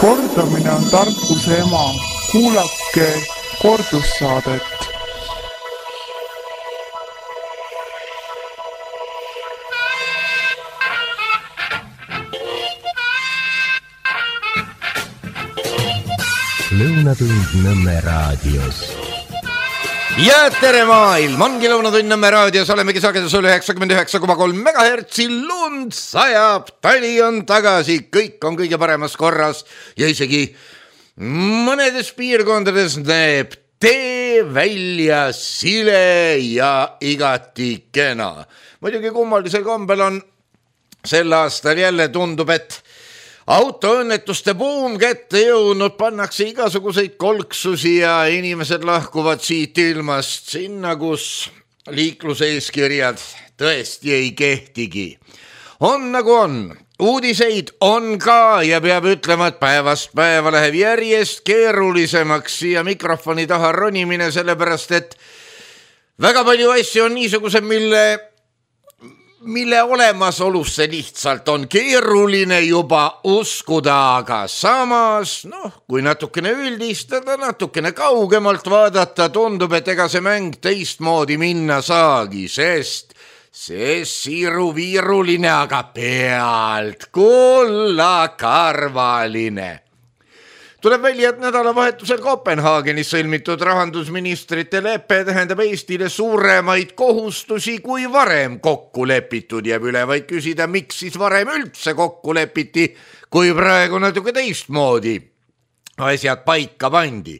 Kordamine on tarkuse ema. Kuulake kordussaadet. Lõunatund Nõmme raadios. Ja tere maailm, ongi Lõunatund Nõmme raadios, olemegi sagedusel 99,3 MHz, lund sajab, tali on tagasi, kõik on kõige paremas korras ja isegi mõnedes piirkondades näeb tee välja sile ja igati kena. Muidugi kummalisel kombel on sel aastal jälle tundub, et autoõnnetuste buum kätte jõudnud, pannakse igasuguseid kolksusi ja inimesed lahkuvad siit ilmast sinna, kus liikluseeskirjad tõesti ei kehtigi. On nagu on, uudiseid on ka ja peab ütlema, et päevast päeva läheb järjest keerulisemaks siia mikrofoni taha ronimine, sellepärast et väga palju asju on niisugused, mille olemasolusse lihtsalt on keeruline juba uskuda, aga samas, kui natukene üldistada, natukene kaugemalt vaadata, tundub, et ega see mäng teistmoodi minna saagi, sest see siiruviiruline, aga pealt kullakarvaline. Tuleb välja, et nädalavahetusel Kopenhaagenis sõlmitud rahandusministrite leppe tähendab Eestile suuremaid kohustusi kui varem kokku lepitud. Jääb üle vaid küsida, miks siis varem üldse kokku lepiti, kui praegu natuke teistmoodi asjad paika pandi.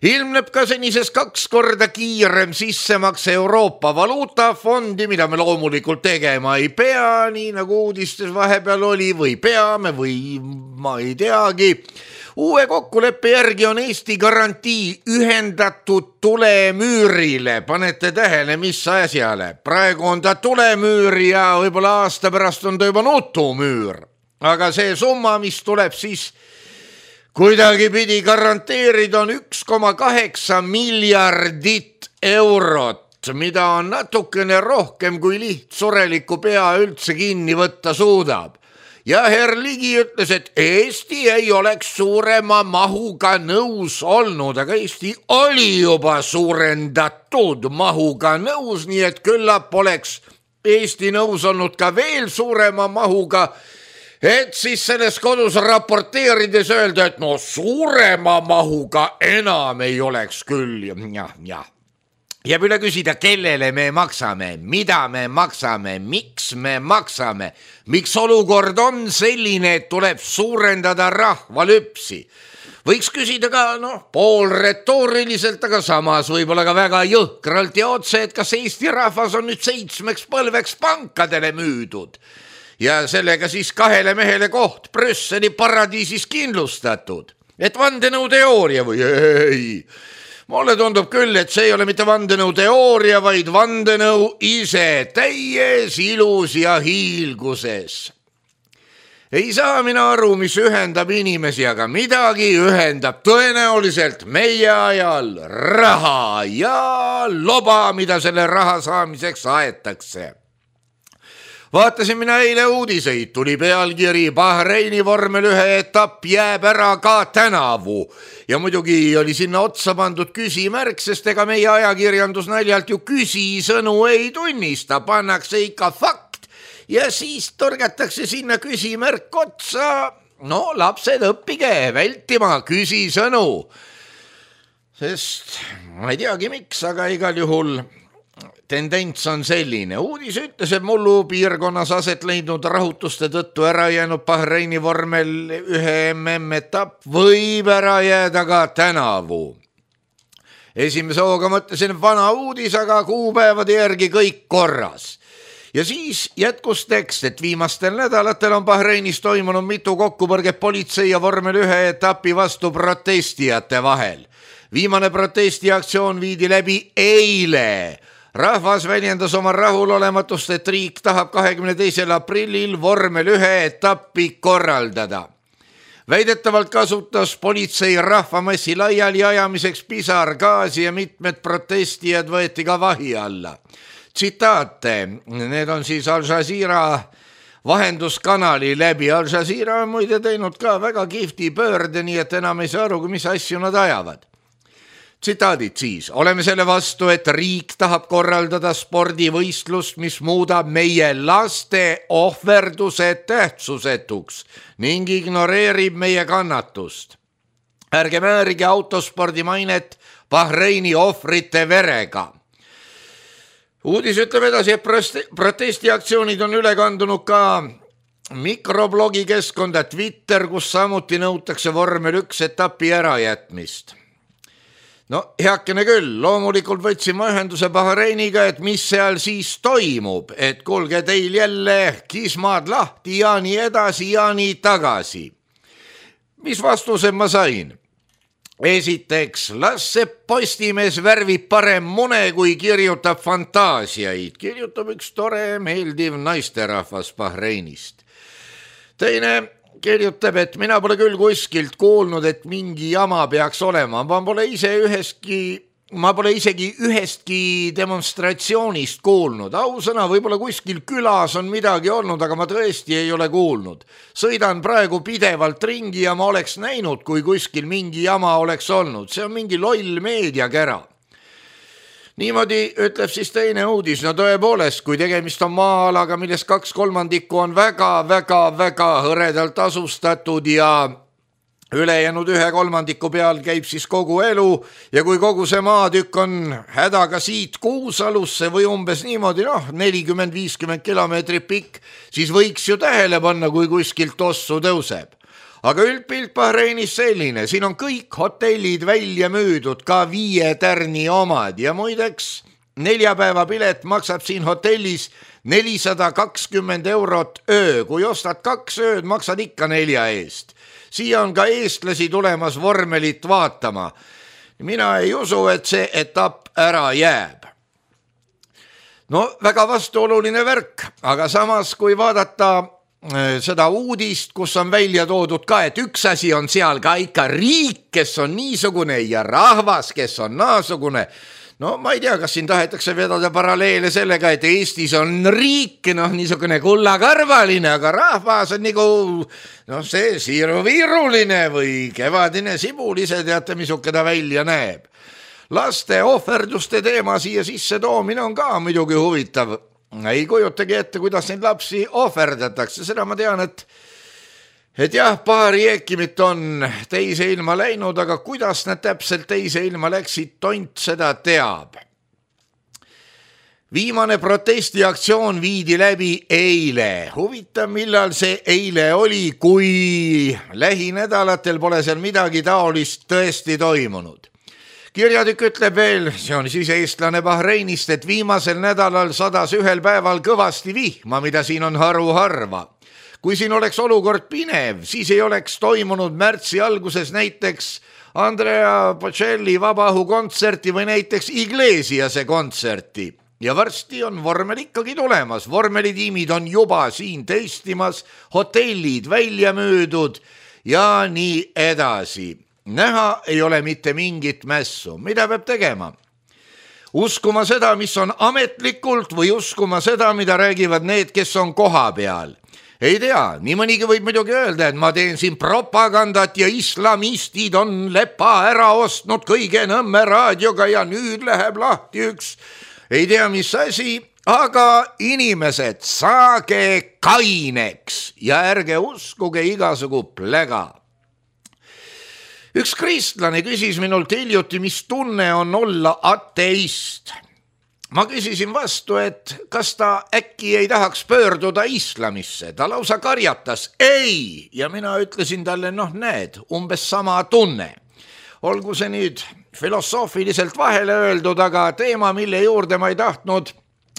Ilmneb ka senisest 2 korda kiirem sissemakse Euroopa valuutafondi, mida me loomulikult tegema ei pea, nii nagu uudistes vahepeal oli, või peame või ma ei teagi. Uue kokkuleppe järgi on Eesti garantii ühendatud tulemüürile. Panete tähele, mis asjale. Praegu on ta tulemüür ja võib-olla aasta pärast on ta juba nutumüür. Aga see summa, mis tuleb siis kuidagi pidi garanteerida, on 1,8 miljardit eurot, mida on natukene rohkem kui lihtsureliku pea üldse kinni võtta suudab. Ja Herr Ligi ütles, et Eesti ei oleks suurema mahuga nõus olnud, aga Eesti oli juba suurendatud mahuga nõus, nii et küllap oleks Eesti nõus olnud ka veel suurema mahuga, et siis selles kodus raporteerides öelda, et suurema mahuga enam ei oleks küll. Jääb üle küsida, kellele me maksame, mida me maksame, miks me maksame, miks olukord on selline, et tuleb suurendada rahvalüpsi. Võiks küsida ka pool retooriliselt, aga samas võib-olla ka väga jõhkralt ja otse, et kas Eesti rahvas on nüüd 7 põlveks pankadele müüdud ja sellega siis 2 mehele koht Brüsseli paradiisis kindlustatud. Et vandenõuteooria või ei? Mulle tundub küll, et see ei ole mitte vandenõu teooria, vaid vandenõu ise täies ilus ja hiilguses. Ei saa mina aru, mis ühendab inimesi, aga midagi ühendab tõenäoliselt meie ajal raha ja loba, mida selle raha saamiseks aetakse. Vaatasin mina eile uudiseid, tuli pealkiri Bahreini vormel 1 etapp jääb ära ka tänavu. Ja muidugi oli sinna otsa pandud küsimärk, sest ega meie ajakirjandus naljalt ju küsisõnu ei tunnista, pannakse ikka fakt ja siis torgatakse sinna küsimärk otsa. Lapsed, õppige vältima küsisõnu. Sest ma ei teagi miks, aga igal juhul tendents on selline. Uudis ütles, et mullu piirkonnas aset leidnud rahutuste tõttu ära jäänud Bahreini vormel 1 MM-etapp võib ära jääda ka tänavu. Esimese hooga mõtlesin vana uudis, aga kuupäevade järgi kõik korras. Ja siis jätkus tekst, et viimastel nädalatel on Bahreinis toimunud mitu kokkupõrget politsei ja vormel 1 etapi vastu protestijate vahel. Viimane protestiaktsioon viidi läbi eile. Rahvas väljendas oma rahulolematust, et riik tahab 22. aprillil vormel 1 etappi korraldada. Väidetavalt kasutas politsei rahvamassi laiali ajamiseks pisargaasi ja mitmed protestijad võeti ka vahi alla. Tsitaate, need on siis Al Jazeera vahenduskanali läbi. Al Jazeera on muide teinud ka väga kihvti pöörde, nii et enam ei saa aru, mis asju nad ajavad. Tsitaadid siis. Oleme selle vastu, et riik tahab korraldada spordivõistlust, mis muudab meie laste ohverduse tähtsusetuks ning ignoreerib meie kannatust. Ärge määrige autospordi mainet Bahreini ohvrite verega. Uudis ütleb edasi, et protestiaktsioonid on üle kandunud ka mikroblogi keskkonda Twitter, kus samuti nõutakse vormel 1 etapi ärajätmist. No heakene küll, loomulikult võtsime ühenduse Bahreiniga, et mis seal siis toimub, et kuulge teil jälle kismad lahti ja nii edasi ja nii tagasi. Mis vastused ma sain? Esiteks, las see Postimees värvib parem mune, kui kirjutab fantaasiaid. Kirjutab üks tore, meeldiv naisterahvas Bahreinist. Teine kirjutab, et mina pole küll kuskilt kuulnud, et mingi jama peaks olema. Ma pole isegi ühestki demonstratsioonist kuulnud. Ausõna, võib-olla kuskil külas on midagi olnud, aga ma tõesti ei ole kuulnud. Sõidan praegu pidevalt ringi ja ma oleks näinud, kui kuskil mingi jama oleks olnud. See on mingi loll meediakära. Niimoodi ütleb siis teine uudis. No tõepoolest, kui tegemist on maa-alaga, millest 2/3 on väga hõredalt asustatud ja ülejäänud 1/3 peal käib siis kogu elu ja kui kogu see maatükk on hädaga siit Kuusalusse või umbes niimoodi 40-50 kilomeetrit pikk, siis võiks ju tähele panna, kui kuskilt tossu tõuseb. Aga üldpilt Bahreinis selline, siin on kõik hotellid välja müüdud, ka 5 tärni omad ja muideks 4 päeva pilet maksab siin hotellis 420 eurot öö, kui ostad 2 ööd, maksad ikka 4 eest. Siia on ka eestlasi tulemas vormelit vaatama. Mina ei usu, et see etapp ära jääb. No väga vastuoluline värk, aga samas kui vaadata seda uudist, kus on välja toodud ka, et üks asi on seal ka ikka riik, kes on niisugune ja rahvas, kes on naasugune. No ma ei tea, kas siin tahetakse vedada paralleele sellega, et Eestis on riik, niisugune kullakarvaline, aga rahvas on nagu see siiruviiruline või kevadine sibul, ise teate, misuke ta välja näeb. Laste ohverduste teema siia sisse toomine on ka muidugi huvitav. Ei kujutagi ette, kuidas neid lapsi ohverdatakse, seda ma tean, et jah, paari eekimit on teise ilma läinud, aga kuidas nad täpselt teise ilma läksid, tont seda teab. Viimane protestiaktsioon viidi läbi eile. Huvitav, millal see eile oli, kui lähinädalatel pole seal midagi taolist tõesti toimunud. Kirjatükk ütleb veel, see on siis eestlane Bahreinist, et viimasel nädalal sadas ühel päeval kõvasti vihma, mida siin on harva. Kui siin oleks olukord pinev, siis ei oleks toimunud märtsi alguses näiteks Andrea Bocelli vabaõhukontserti või näiteks Iglesiase kontserti. Ja varsti on vormel ikkagi tulemas. Vormelitiimid on juba siin testimas, hotellid välja müüdud ja nii edasi. Näha ei ole mitte mingit mässu. Mida peab tegema? Uskuma seda, mis on ametlikult või uskuma seda, mida räägivad need, kes on koha peal. Ei tea, nii mõnigi võib muidugi öelda, et ma teen siin propagandat ja islamistid on lepa ära ostnud kõige Nõmme raadioga ja nüüd läheb lahti üks. Ei tea, mis asi, aga inimesed, saage kaineks ja ärge uskuge igasugu plega. Üks kristlane küsis minult hiljuti, mis tunne on olla ateist. Ma küsisin vastu, et kas ta äkki ei tahaks pöörduda islamisse. Ta lausa karjatas, ei, ja mina ütlesin talle, näed, umbes sama tunne. Olgu see nüüd filosoofiliselt vahele öeldud, aga teema, mille juurde ma ei tahtnud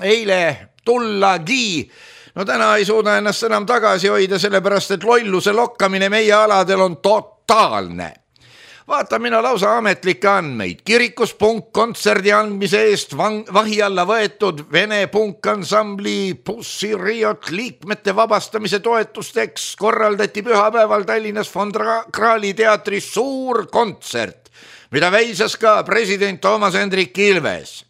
eile tullagi. Täna ei suuda ennast enam tagasi hoida, sellepärast et lolluse lokkamine meie aladel on totaalne. Vaata mina lausa ametlikke andmeid. Kirikus punkkontserdi andmise eest vahi alla võetud Vene punkansambli Pussy Riot liikmete vabastamise toetusteks korraldati pühapäeval Tallinnas Von Krahli teatris suur kontsert, mida väisas ka president Toomas Hendrik Ilves.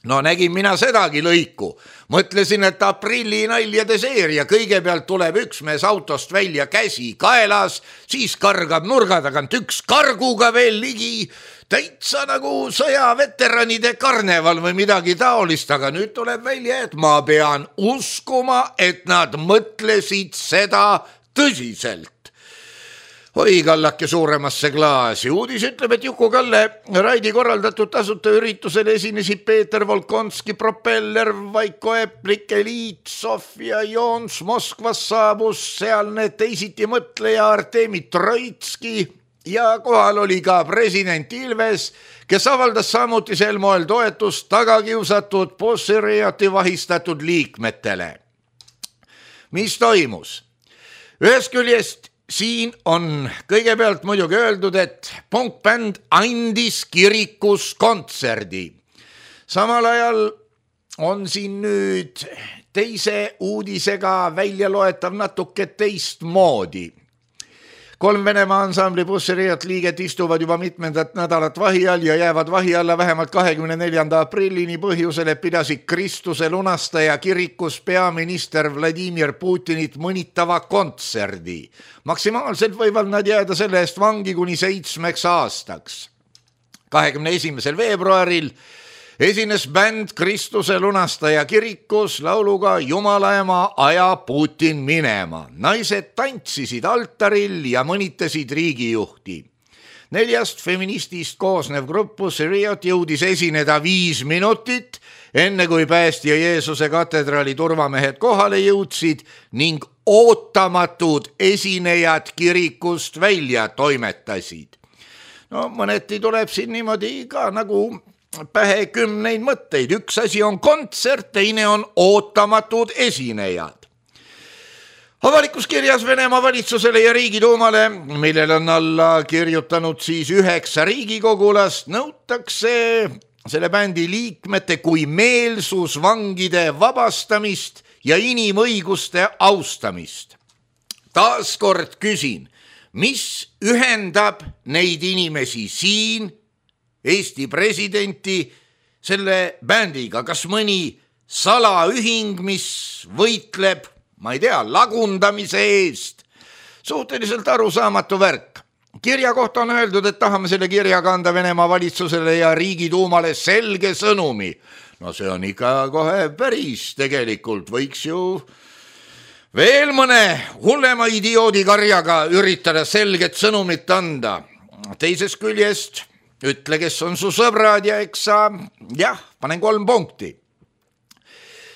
No nägin mina sedagi lõiku. Mõtlesin, et aprilli naljade seeria. Kõigepealt tuleb üks mees autost välja, käsi kaelas, siis kargab nurga tagant üks karguga veel ligi. Täitsa nagu sõjaveteranide karneval või midagi taolist, aga nüüd tuleb välja, et ma pean uskuma, et nad mõtlesid seda tõsiselt. Oi kallake suuremasse klaasi. Uudis ütleb, et Juku-Kalle Raidi korraldatud tasuta üritusel esinesid Peeter Volkonski, Propeller, Vaiko Eplik, Eliit, Sofia Joons, Moskvas saabus sealne teisiti mõtleja Artemi Troitski ja kohal oli ka president Ilves, kes avaldas samuti sel moel toetust tagakiusatud Pussy-Rioti vahistatud liikmetele. Mis toimus? Ühest küljest siin on kõigepealt muidugi öeldud, et punkbänd andis kirikus kontserdi. Samal ajal on siin nüüd teise uudisega välja loetav natuke teistmoodi. 3 Venemaa ansambli Pussy-Riot liiget istuvad juba mitmendat nädalat vahi all ja jäävad vahi alla vähemalt 24. aprillini põhjusel, et pidasid Kristuse lunastaja kirikus peaminister Vladimir Putinit mõnitava kontserdi. Maksimaalselt võivad nad jääda selle eest vangi kuni 7 aastaks. 21. veebruaril esines bänd Kristuse lunastaja kirikus lauluga Jumala ema, aja Putin minema. Naised tantsisid altaril ja mõnitasid riigijuhti. 4 feministist koosnev grupp Pussy-Riot jõudis esineda 5 minutit, enne kui päästja Jeesuse katedraali turvamehed kohale jõudsid ning ootamatud esinejad kirikust välja toimetasid. No mõneti tuleb siin niimoodi ka nagu pähe 10 mõtteid. Üks asi on kontsert, teine on ootamatud esinejad. Avalikus kirjas Venemaa valitsusele ja Riigiduumale, millel on alla kirjutanud siis 9 riigikogulast, nõutakse selle bändi liikmete kui meelsusvangide vabastamist ja inimõiguste austamist. Taaskord küsin, mis ühendab neid inimesi siin, Eesti presidenti, selle bändiga? Kas mõni salaühing, mis võitleb, ma ei tea, lagundamise eest? Suhteliselt arusaamatu värk. Kirja kohta on öeldud, et tahame selle kirjaga anda Venemaa valitsusele ja Riigiduumale selge sõnumi. No see on ikka kohe päris, tegelikult võiks ju veel mõne hullema idioodi karjaga üritada selget sõnumit anda. Teisest küljest ütle, kes on su sõbrad ja eks sa, panen 3 punkti.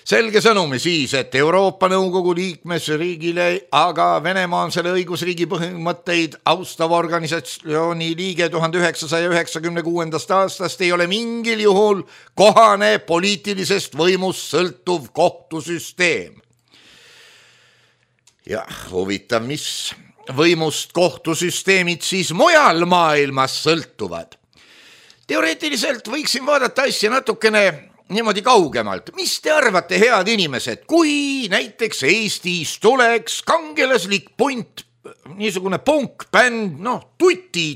Selge sõnumi siis, et Euroopa Nõukogu liikmesriigile, aga Venemaa on selle õigusriigi põhimõtteid austava organisatsiooni liige 1996. aastast, ei ole mingil juhul kohane poliitilisest võimust sõltuv kohtusüsteem. Huvitav, mis võimust kohtusüsteemid siis mujal maailmas sõltuvad. Teoreetiliselt võiksin vaadata asja natukene niimoodi kaugemalt. Mis te arvate, head inimesed, kui näiteks Eestis tuleks kangelaslik punt, niisugune punkbänd,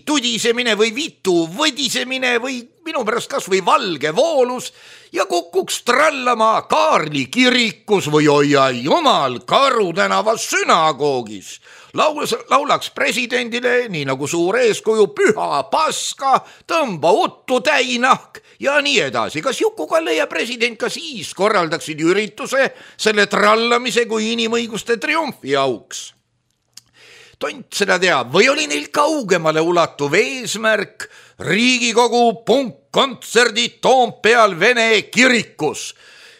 tudisemine või vitu võdisemine või minu pärast kas või valge voolus ja kukuks trallama Kaarli kirikus või hoia jumal Karu tänava sünagoogis. Laulaks presidendile, nii nagu suur eeskuju, püha paska, tõmba uttu täinahk ja nii edasi. Kas Juku-Kalle ja president ka siis korraldaksid ürituse selle trallamise kui inimõiguste triumfi auks? Tont seda teab, või oli neil kaugemale ulatuv eesmärk Riigikogu punkkontserdid Toompeal Vene kirikus?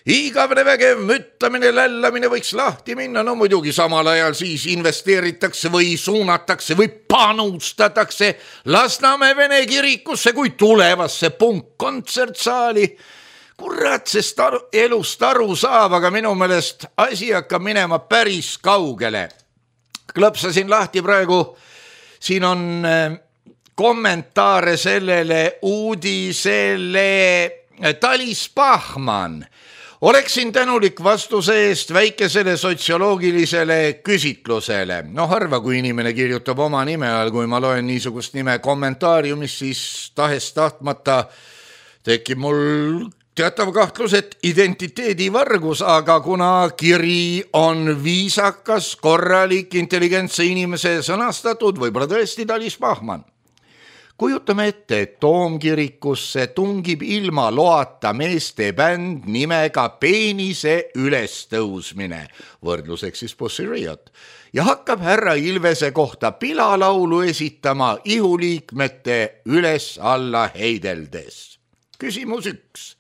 Igavene vägev müttamine, lällamine võiks lahti minna, no muidugi samal ajal siis investeeritakse või suunatakse või panustatakse Lasnamäe Vene kirikusse kui tulevasse punkkontsertsaali. Kurat, sest elust aru saab, aga minu meelest asi hakkab minema päris kaugele. Klõpsasin lahti praegu, siin on kommentaare sellele uudisele. Talis Pahman. Oleksin tänulik vastuse eest väikesele sotsioloogilisele küsitlusele. Harva kui inimene kirjutab oma nime all, kui ma loen niisugust nime kommentaariumis, siis tahes tahtmata tekib mul teatav kahtlus, et identiteedivargus, aga kuna kiri on viisakas, korralik, intelligentse inimese sõnastatud, võib-olla tõesti Talis Pahman. Kujutame ette, et Toomkirikusse tungib ilma loata meeste bänd nimega Peenise ülestõusmine, võrdluseks siis Pussy Riot, ja hakkab härra Ilvese kohta pilalaulu esitama ihuliikmete üles-alla heideldes. Küsimus 1.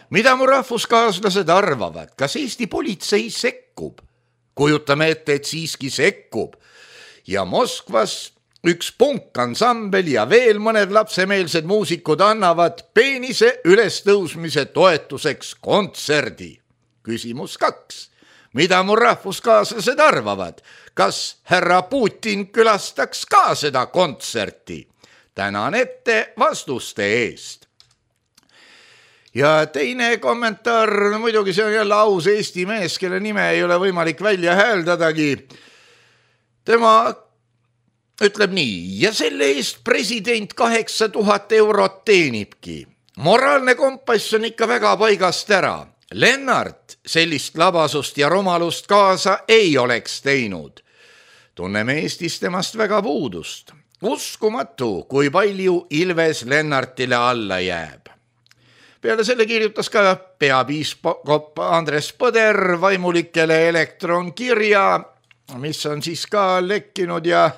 Mida mu rahvuskaaslased arvavad, kas Eesti politsei sekkub? Kujutame ette, et siiski sekkub ja Moskvas üks punkansambel ja veel mõned lapsemeelsed muusikud annavad Peenise ülestõusmise toetuseks kontserdi. Küsimus 2. Mida mu rahvuskaaslased arvavad? Kas härra Putin külastaks ka seda kontserti? Tänan ette vastuste eest. Ja teine kommentaar, muidugi see on jälle aus Eesti mees, kelle nime ei ole võimalik välja hääldadagi. Tema ütleb nii, ja selle eest president 8000 eurot teenibki. Moraalne kompass on ikka väga paigast ära. Lennart sellist labasust ja rumalust kaasa ei oleks teinud. Tunneme Eestis temast väga puudust. Uskumatu, kui palju Ilves Lennartile alla jääb. Peale selle kirjutas ka peapiiskop Andres Põder vaimulikele elektronkirja, mis on siis ka lekkinud ja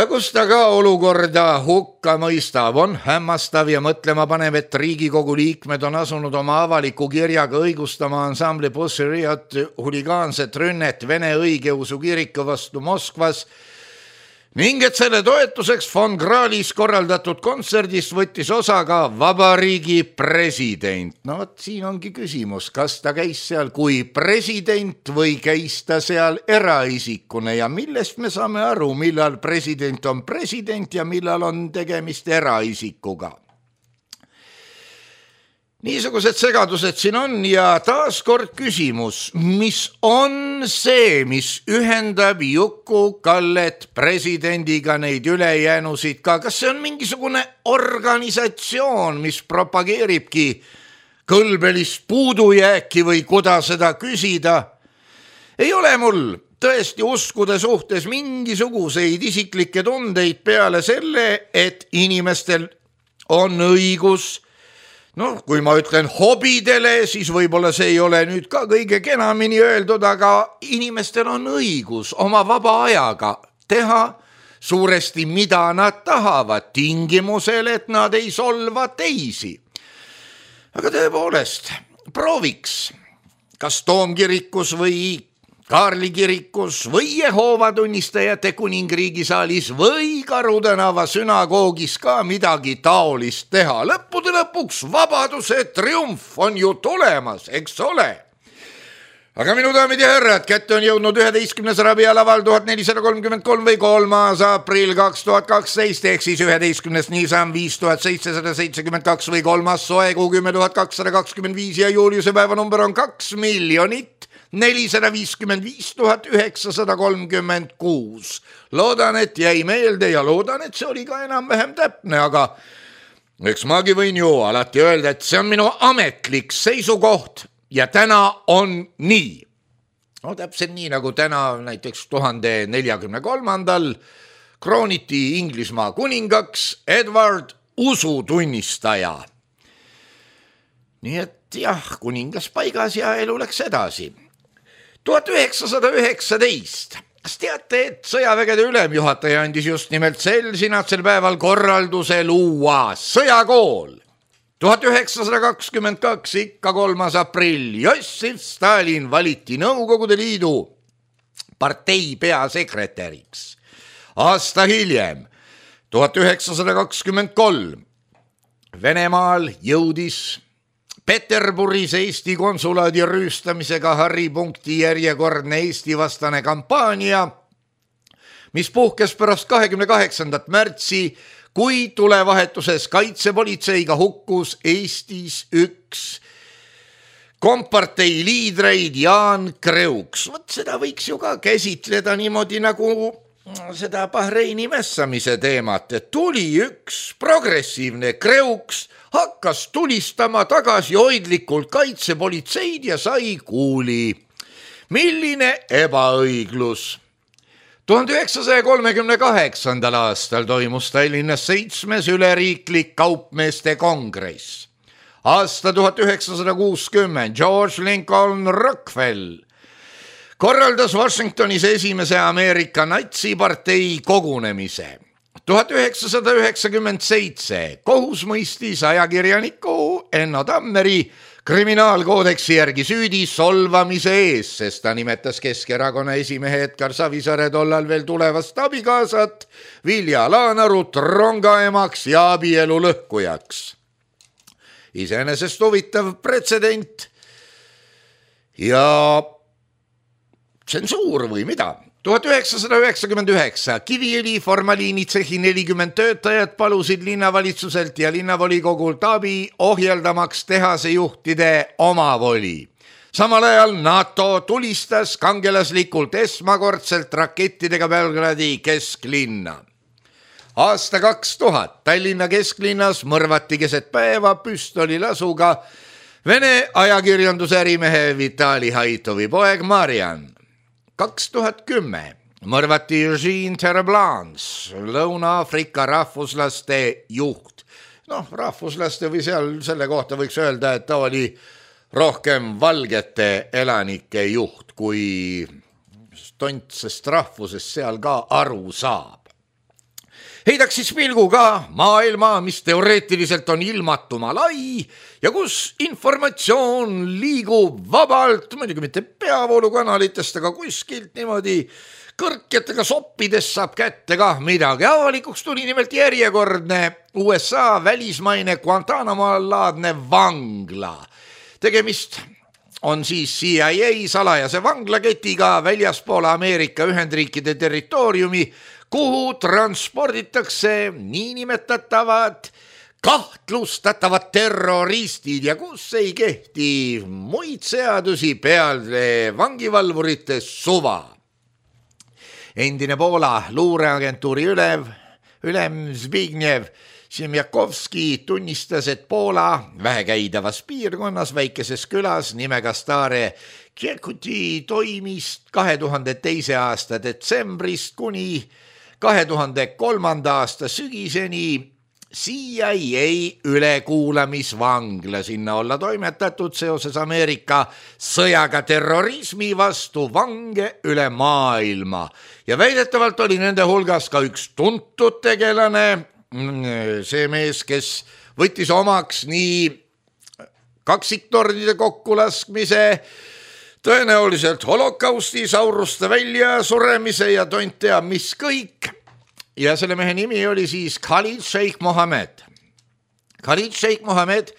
kus ta ka olukorda hukka mõistab, on hämmastav ja mõtlema panev, et Riigikogu liikmed on asunud oma avaliku kirjaga õigustama ansambli Pussy Riot huligaanset rünnet Vene õigeusu kiriku vastu Moskvas ning et selle toetuseks Von Krahlis korraldatud kontserdist võttis osa ka vabariigi president. No võt, siin ongi küsimus, kas ta käis seal kui president või käis ta seal eraisikune ja millest me saame aru, millal president on president ja millal on tegemist eraisikuga. Niisugused segadused siin on ja taaskord küsimus, mis on see, mis ühendab Juku-Kallet presidendiga neid ülejäänusid ka? Kas see on mingisugune organisatsioon, mis propageeribki kõlbelist puudujääki või kuda seda küsida? Ei ole mul tõesti uskude suhtes mingisuguseid isiklikke tundeid peale selle, et inimestel on õigus. No, kui ma ütlen hobidele, siis võib-olla see ei ole nüüd ka kõige kenamini öeldud, aga inimestel on õigus oma vaba ajaga teha suuresti mida nad tahavad, tingimusel, et nad ei solva teisi. Aga tõepoolest, prooviks, kas Toomkirikus või Kaarli kirikus või Jehoova tunnistajate kuningriigi saalis või Karu tänava sünagoogis ka midagi taolist teha. Lõppude lõpuks vabaduse triumf on ju tulemas, eks ole? Aga minu daamid ja härrad, kätte on jõudnud 11. rabialaval 1433 või 3. aprill 2012 ehk siis 11. niisam 5772 või 3. soekuu 10225 ja juuliuse päeva number on 2 455 936. Loodan, et jäi meelde ja loodan, et see oli ka enam-vähem täpne, aga eks magi võin ju alati öelda, et see on minu ametlik seisukoht ja täna on nii. No täpselt nii, nagu täna näiteks 1043. krooniti Inglismaa kuningaks Edward usutunnistaja. Nii et jah, kuningas paigas ja elu läks edasi. 1919. Kas teate, et sõjavägede ülemjuhataja andis just nimelt sel sinatsel päeval korralduse luua sõjakool? 1922, ikka 3. aprill, Jossif Stalin valiti Nõukogude Liidu partei peasekretäriks. Aasta hiljem, 1923, Venemaal jõudis Peterburis Eesti konsulaadi rüüstamisega haripunkti järjekordne Eesti vastane kampaania, mis puhkes pärast 28. märtsi, kui tulevahetuses kaitsepolitseiga hukkus Eestis üks kompartei liidreid Jaan Kreuks. Võt seda võiks ju ka käsitleda niimoodi nagu seda Bahreini mässamise teemat, et tuli üks progressiivne kreuks, hakkas tulistama tagasihoidlikult kaitsepolitseid ja sai kuuli. Milline ebaõiglus! 1938. aastal toimus Tallinnas 7. üleriiklik kaupmeeste kongress. Aasta 1960 George Lincoln Rockefeller korraldas Washingtonis esimese Ameerika natsipartei kogunemise. 1997 kohus mõistis ajakirjaniku Enno Tammeri kriminaalkoodeksi järgi süüdi solvamise ees, sest ta nimetas Keskerakonna esimehe Edgar Savisaare tollal veel tulevast abikaasat Vilja Laanarut rongaemaks ja abielu lõhkujaks. Iseenesest huvitav pretsedent ja tsensuur või mida? 1999 Kiviõli formaliinitsehi 40 töötajat palusid linnavalitsuselt ja linnavolikogult abi ohjeldamaks tehase juhtide omavoli. Samal ajal NATO tulistas kangelaslikult esmakordselt rakettidega Belgradi kesklinna. Aasta 2000 Tallinna kesklinnas mõrvati keset päeva püstolilasuga Vene ajakirjandusärimehe Vitali Haitovi poeg Marian. 2010 mõrvati Eugene Terreblans, Lõuna-Aafrika rahvuslaste juht. Rahvuslaste või selle kohta võiks öelda, et ta oli rohkem valgete elanike juht, kui tontsest rahvusest seal ka aru saab. Heidaks siis pilguga maailma, mis teoreetiliselt on ilmatuma lai ja kus informatsioon liigub vabalt, muidugi mitte peavoolukanalitest, aga kuskilt niimoodi kõrkjatega soppides saab kätte ka midagi. Avalikuks tuli nimelt järjekordne USA välismaine Guantanamo-laadne vangla. Tegemist on siis CIA salajase vanglaketiga väljaspool Ameerika Ühendriikide territooriumi, kuhu transporditakse niinimetatavad kahtlustatavad terroristid ja kus ei kehti muid seadusi peale vangivalvurite suva. Endine Poola luureagentuuri ülem Zbigniew Siemiakowski tunnistas, et Poola vähekäidavas piirkonnas väikeses külas nimega Stare Kierkuti toimis 2002. aasta detsembrist kuni 2003. aasta sügiseni CIA ülekuulamisvangla, sinna olla toimetatud seoses Ameerika sõjaga terrorismi vastu vange üle maailma. Ja väidetavalt oli nende hulgas ka üks tuntud tegelane, see mees, kes võttis omaks nii kaksiktordide kokkulaskmise, tõenäoliselt holokausti, sauruste väljasuremise ja tont teab mis kõik. Ja selle mehe nimi oli siis Khalid Sheikh Mohammed. Khalid Sheikh Mohammed,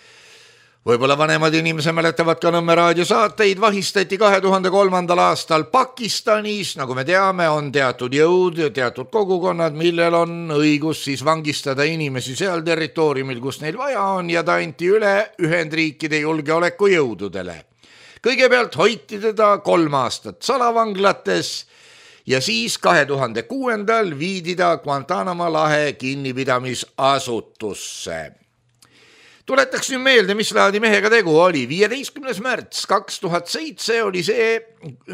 võib-olla vanemad inimesed mäletavad ka Nõmme raadiosaateid, vahistati 2003. aastal Pakistanis. Nagu me teame, on teatud jõud ja teatud kogukonnad, millel on õigus siis vangistada inimesi seal territooriumil, kus neil vaja on, ja ta anti üle Ühendriikide julgeolekujõududele. Kõigepealt hoiti teda 3 aastat salavanglates ja siis 2006. viidi ta Guantanamo lahe kinnipidamisasutusse. Tuletaks nüüd meelde, mis laadi mehega tegu oli. 15. märts 2007 oli see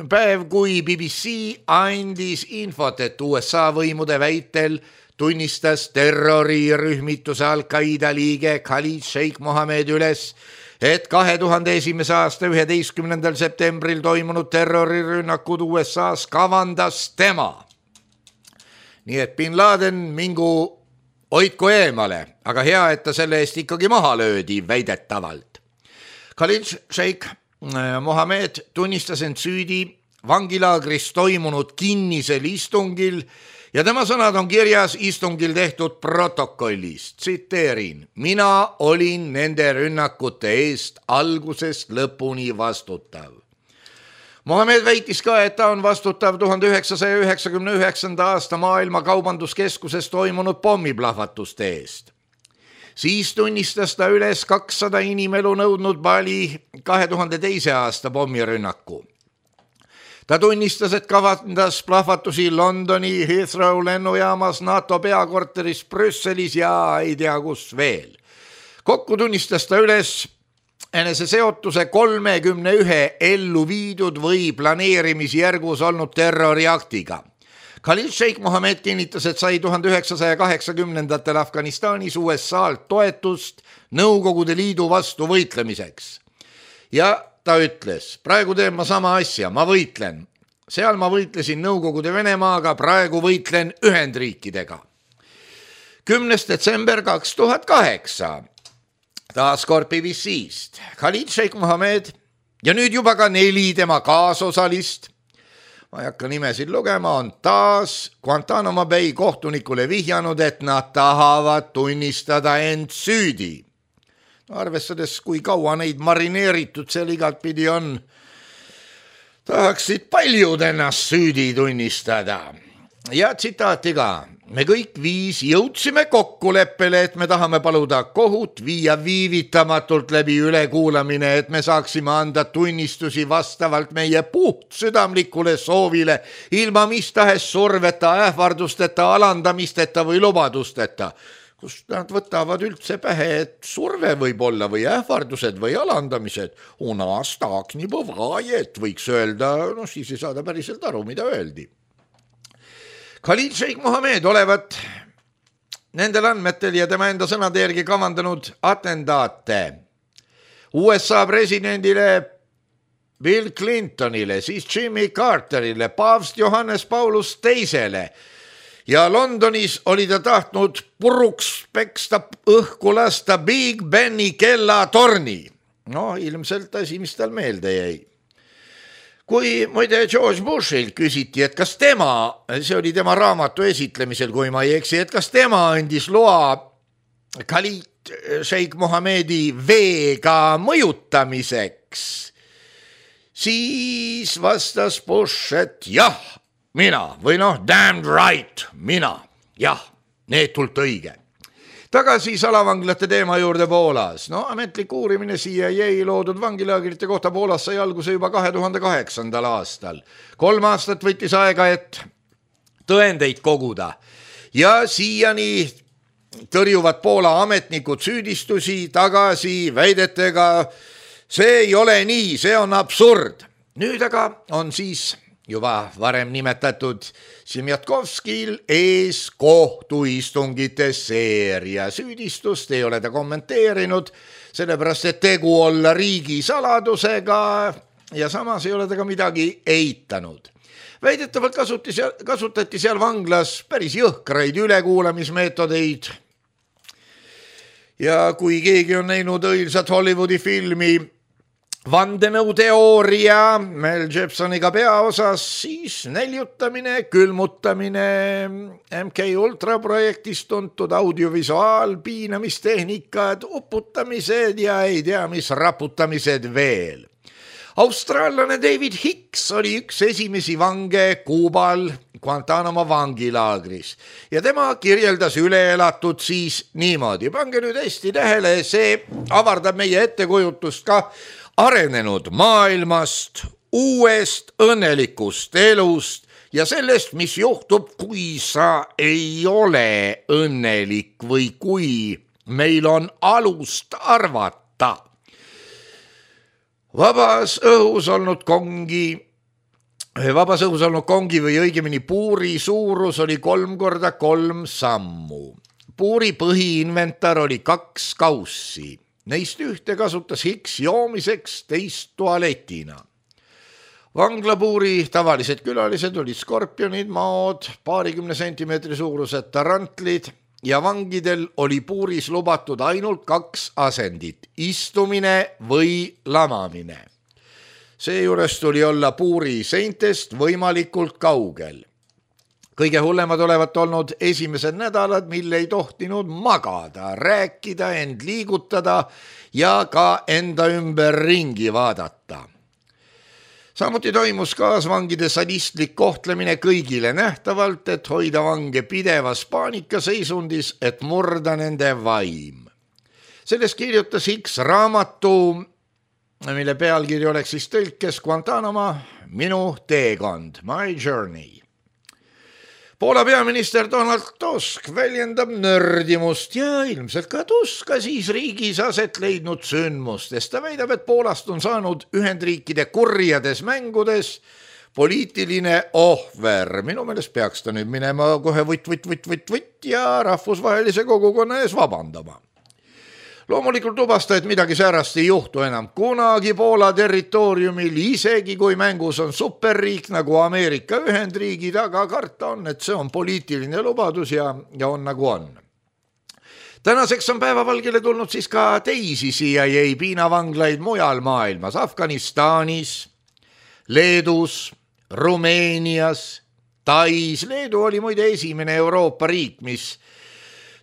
päev, kui BBC andis infot, et USA võimude väitel tunnistas terrorirühmituse Al-Qaida liige Khalid Sheikh Mohammed üles, et 2001. aasta 11. septembril toimunud terrorirünnakud USA's kavandas tema. Nii et Bin Laden mingu hoidku eemale, aga hea, et ta selle eest ikkagi maha löödi väidetavalt. Khalid Sheikh Mohammed tunnistas end süüdi vangilaagris toimunud kinnisel istungil ja tema sõnad on kirjas istungil tehtud protokollis. Tsiteerin: mina olin nende rünnakute eest algusest lõpuni vastutav. Mohammed väitis ka, et ta on vastutav 1999. aasta maailma kaubanduskeskuses toimunud pommiplahvatuste eest. Siis tunnistas ta üles 200 inimelu nõudnud Bali 2002. aasta pommirünnaku. Ta tunnistas, et kavandas plahvatusi Londoni Heathrow lennujaamas, NATO peakorteris Brüsselis ja ei tea kus veel. Kokku tunnistas ta üles eneseseotuse 31 ellu viidud või planeerimisjärgus olnud terroriaktiga. Khalid Sheikh Mohammed kinnitas, et sai 1980-ndatel Afganistanis USA-lt toetust Nõukogude Liidu vastu võitlemiseks. Ja ta ütles, praegu teen ma sama asja, ma võitlen. Seal ma võitlesin Nõukogude Venemaaga, praegu võitlen Ühendriikidega. 10. detsember 2008. Taaskord BBC-st. Khalid Sheikh Mohammed ja nüüd juba ka 4 tema kaasosalist, ma ei hakka nimesid lugema, on taas Guantanamo Bay kohtunikule vihjanud, et nad tahavad tunnistada end süüdi. Arvestades, kui kaua neid marineeritud seal igat pidi on, tahaksid paljud ennast süüdi tunnistada. Ja tsitaati ka. Me kõik 5 jõudsime kokkuleppele, et me tahame paluda kohut viia viivitamatult läbi ülekuulamine, et me saaksime anda tunnistusi vastavalt meie puhtsüdamlikule soovile, ilma mis tahes surveta, ähvardusteta, alandamisteta või lubadusteta. Kust nad võtavad üldse pähe, et surve võib olla või ähvardused või alandamised. U nas tak nii bõvajet, võiks öelda, siis ei saada päriselt aru, mida öeldi. Khalid Sheikh Mohammed olevat nendel andmetel ja tema enda sõnade järgi kavandanud atendaate USA presidendile Bill Clintonile, siis Jimmy Carterile, paavst Johannes Paulus II ja Londonis oli ta tahtnud puruks peksta õhku lasta Big Beni kellatorni. No ilmselt asi, mis tal meelde jäi. Kui muide George Bushilt küsiti, et kas tema, see oli tema raamatu esitlemisel, kui ma ei eksi, et kas tema andis loa Khalid Sheikh Mohammedi veega mõjutamiseks, siis vastas Bush, et jah, mina või damn right, mina, jah, neetult õige. Tagasi salavanglate teema juurde Poolas. Ametlik uurimine CIA loodud vangilaagrite kohta Poolas sai alguse juba 2008. aastal. 3 aastat võttis aega, et tõendeid koguda. Ja siiani tõrjuvad Poola ametnikud süüdistusi tagasi väidetega, see ei ole nii, see on absurd. Nüüd aga on siis juba varem nimetatud Simjatkovskil ees kohtuistungite seeria. Süüdistust ei ole ta kommenteerinud, sellepärast et tegu olla riigisaladusega ja samas ei ole ta ka midagi eitanud. Väidetavalt kasutati seal vanglas päris jõhkraid ülekuulamismeetodeid. Ja kui keegi on näinud õilsat Hollywoodi filmi Vandenõuteooria Mel Gibsoniga peaosas, siis näljutamine, külmutamine, MK Ultra projektist tuntud audiovisuaal, piinamistehnikad, uputamised ja ei tea mis raputamised veel. Austraallane David Hicks oli üks esimesi vange Kuubal Guantanamo vangilaagris ja tema kirjeldas üleelatud siis niimoodi. Pange nüüd hästi tähele, see avardab meie ettekujutust ka arenenud maailmast, uuest õnnelikust elust ja sellest, mis juhtub, kui sa ei ole õnnelik või kui meil on alust arvata. Vabas õhus olnud kongi või õigemini puuri suurus oli 3x3 sammu. Puuri põhiinventar oli 2 kaussi. Neist ühte kasutas Hicks joomiseks, teist tualetina. Vanglapuuri tavalised külalised olid skorpionid, maod, 20 sentimeetri suurused tarantlid ja vangidel oli puuris lubatud ainult 2 asendit, istumine või lamamine. Seejuures tuli olla puuri seintest võimalikult kaugel. Kõige hullemad olevat olnud esimesed nädalad, mil ei tohtinud magada, rääkida, end liigutada ja ka enda ümber ringi vaadata. Samuti toimus kaasvangide sadistlik kohtlemine kõigile nähtavalt, et hoida vange pidevas paanikaseisundis, et murda nende vaim. Sellest kirjutas Hicks raamatu mille pealkiri oleks siis tõlkes Guantanamo, minu teekond, my journey. Poola peaminister Donald Tusk väljendab nördimust ja ilmselt ka Tuska siis riigis aset leidnud sündmustest. Ta väidab, et Poolast on saanud Ühendriikide kurjades mängudes poliitiline ohver. Minu meelest peaks ta nüüd minema kohe võtt ja rahvusvahelise kogukonna ees vabandama. Loomulikult lubas ta, et midagi säärast ei juhtu enam kunagi Poola territooriumil, isegi kui mängus on superriik nagu Ameerika Ühendriigid, aga karta on, et see on poliitiline lubadus ja on nagu on. Tänaseks on päevavalgele tulnud siis ka teisi CIA piinavanglaid mujal maailmas, Afganistanis, Leedus, Rumeenias, Tais. Leedu oli muide esimene Euroopa riik, mis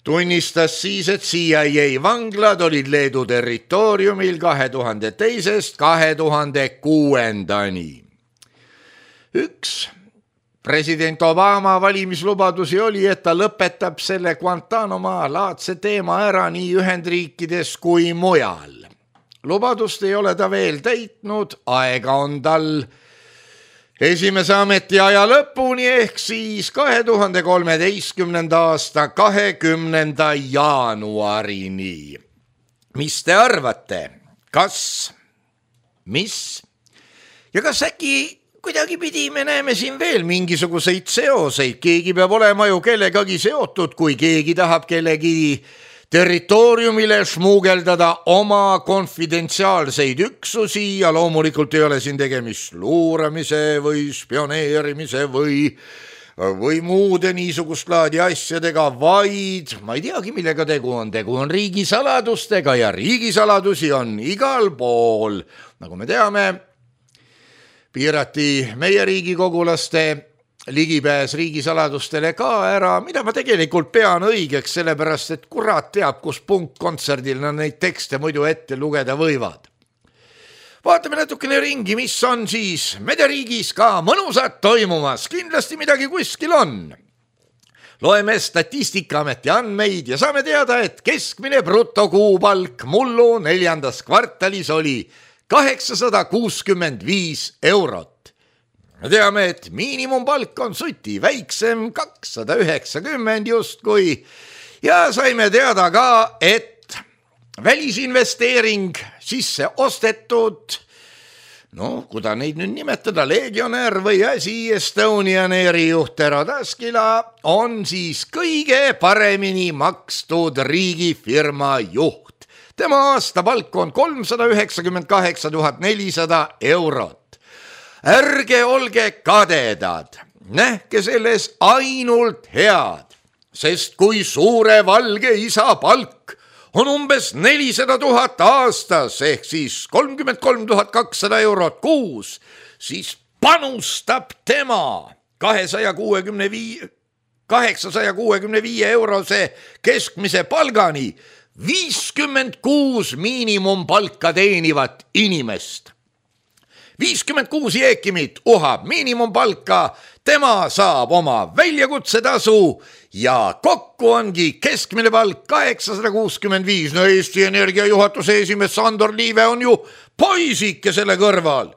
tunnistas siis, et CIA vanglad olid Leedu territooriumil 2002-st 2006-ndani. Üks president Obama valimislubadusi oli, et ta lõpetab selle Guantanamo laadse teema ära nii Ühendriikides kui mujal. Lubadust ei ole ta veel täitnud, aega on tal esimese ametiaja lõpuni ehk siis 2013. aasta 20. jaanuarini. Mis te arvate? Mis? Ja kas äkki kuidagipidi me näeme siin veel mingisuguseid seoseid? Keegi peab olema ju kellegagi seotud, kui keegi tahab kellegi territooriumile smuugeldada oma konfidentsiaalseid üksusi ja loomulikult ei ole siin tegemist luuramise või spioneerimise või muude niisugust laadi asjadega, vaid ma ei teagi, millega tegu on riigisaladustega ja riigisaladusi on igal pool. Nagu me teame, piirati meie riigikogulaste ligipääs riigisaladustele ka ära, mida ma tegelikult pean õigeks, sellepärast et kurat teab, kus punkkontserdil nad neid tekste muidu ette lugeda võivad. Vaatame natukene ringi, mis on siis mederiigis ka mõnusat toimumas, kindlasti midagi kuskil on. Loeme Statistikaameti andmeid ja saame teada, et keskmine brutokuupalk mullu 4. kvartalis oli 865 eurot. Me teame, et miinimumpalk on suti väiksem, 290 justkui ja saime teada ka, et välisinvesteering sisse ostetud, kuda neid nüüd nimetada, Legionär või asi, Estonian Airi juht Tero Taskila on siis kõige paremini makstud riigifirma juht. Tema aastapalk on 398 400 eurot. Ärge olge kadedad, nähke selles ainult head, sest kui suure valge isa palk on umbes 400 000 aastas ehk siis 33 200 eurot kuus, siis panustab tema 865 eurose keskmise palgani 56 miinimumpalka teenivat inimest. 56 jeekimit uhab miinimumpalka, tema saab oma väljakutsetasu ja kokku ongi keskmine palk 865. Eesti Energia juhatuse esimees Sandor Liive on ju poisike selle kõrval.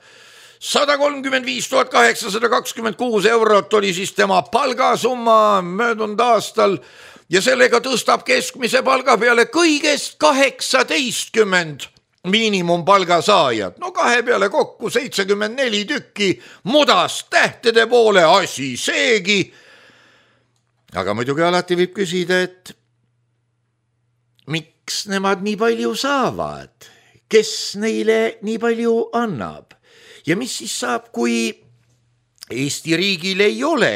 135 826 eurot oli siis tema palgasumma möödunud aastal ja sellega tõstab keskmise palga peale kõigest 18 miinimumpalga saajad. 2 peale kokku 74 tükki mudast tähtede poole asi seegi. Aga muidugi alati võib küsida, et miks nemad nii palju saavad? Kes neile nii palju annab? Ja mis siis saab, kui Eesti riigil ei ole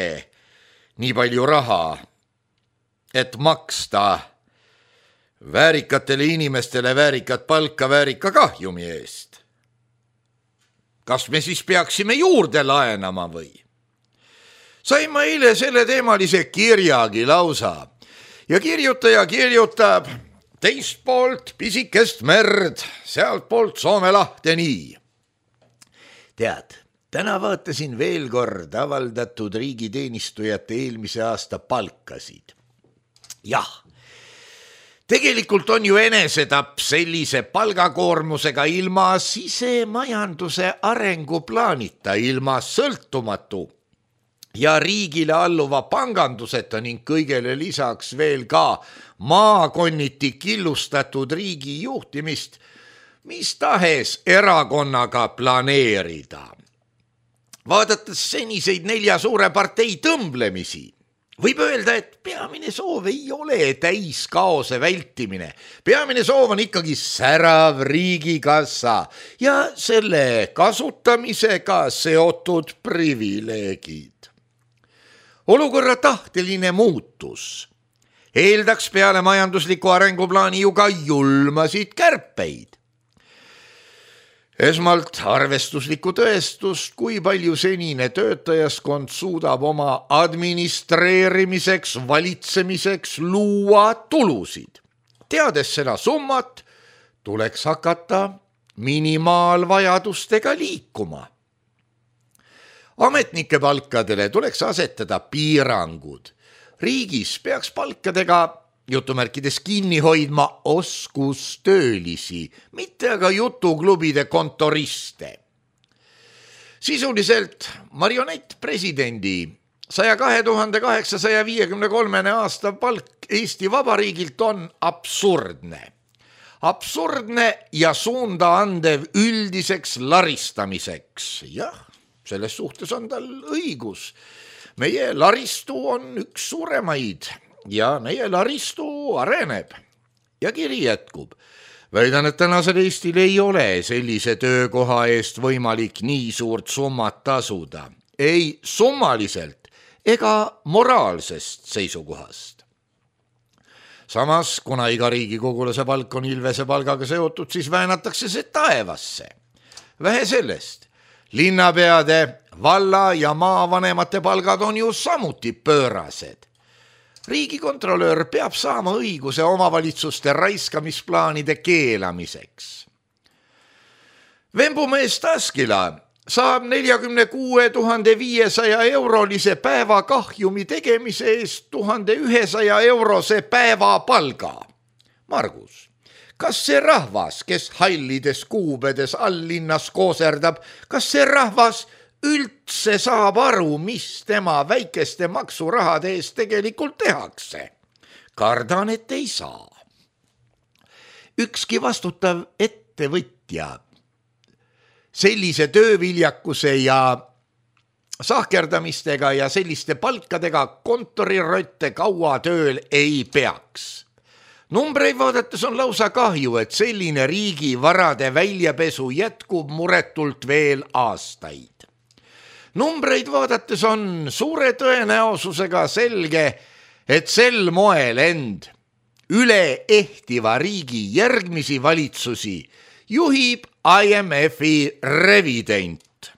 nii palju raha, et maksta väärikatele inimestele väärikat palka väärika kahjumi eest? Kas me siis peaksime juurde laenama või? Sain ma eile selle teemalise kirjagi lausa ja kirjutaja kirjutab teist poolt pisikest merd, sealt poolt Soome lahte nii. Tead, täna vaatasin veel kord avaldatud riigiteenistujate eelmise aasta palkasid. Jah, Tegelikult on ju enesetapp sellise palgakoormusega ilma sisemajanduse arenguplaanita, ilma sõltumatu ja riigile alluva panganduseta ning kõigele lisaks veel ka maakonniti killustatud riigi juhtimist, mis tahes erakonnaga planeerida. Vaadates seniseid 4 suure partei tõmblemisi, võib öelda, et peamine soov ei ole täiskaose vältimine. Peamine soov on ikkagi särav riigikassa ja selle kasutamisega seotud privileegid. Olukorra tahteline muutus eeldaks peale majandusliku arenguplaani ju ka julmasid kärpeid. Esmalt arvestuslikku tõestust, kui palju senine töötajaskond suudab oma administreerimiseks, valitsemiseks luua tulusid. Teades seda summat, tuleks hakata minimaalvajadustega liikuma. Ametnike palkadele tuleks asetada piirangud. Riigis peaks palkadega jutumärkides kinni hoidma oskustöölisi, mitte aga jutuklubide kontoriste. Sisuliselt marionettpresidendi 102 853 aasta palk Eesti Vabariigilt on absurdne. Absurdne ja suunda andev üldiseks laristamiseks. Jah, selles suhtes on tal õigus. Meie laristu on üks suuremaid ja meie laristu areneb ja kiri jätkub. Väidan, et tänasel Eestil ei ole sellise töökoha eest võimalik nii suurt summat tasuda. Ei summaliselt ega moraalsest seisukohast. Samas, kuna iga riigikogulase palk on Ilvese palgaga seotud, siis väänatakse see taevasse. Vähe sellest, linnapeade, valla ja maavanemate palgad on ju samuti pöörased. Riigikontrolöör peab saama õiguse omavalitsuste raiskamisplaanide keelamiseks. Vembumees Taskila saab 46 500 eurolise päevakahjumi tegemise eest 1100 eurose päevapalga. Margus, kas see rahvas, kes hallides kuubedes alllinnas kooserdab, kas see rahvas üldse saab aru, mis tema väikeste maksurahade eest tegelikult tehakse? Kardan, et ei saa. Ükski vastutav ettevõtja sellise tööviljakuse ja sahkerdamistega ja selliste palkadega kontorirotte kaua tööl ei peaks. Numbreid vaadates on lausa kahju, et selline riigi varade väljapesu jätkub muretult veel aastaid. Numbreid vaadates on suure tõenäosusega selge, et sel moel end üle ehtiva riigi järgmisi valitsusi juhib IMF-i revident.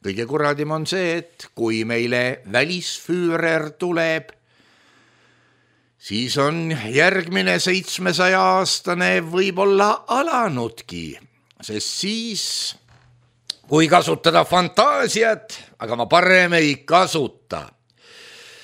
Kõige kuradim on see, et kui meile välisfüürer tuleb, siis on järgmine 700-aastane võib-olla alanudki, sest siis, kui kasutada fantaasiat, aga ma parem ei kasuta.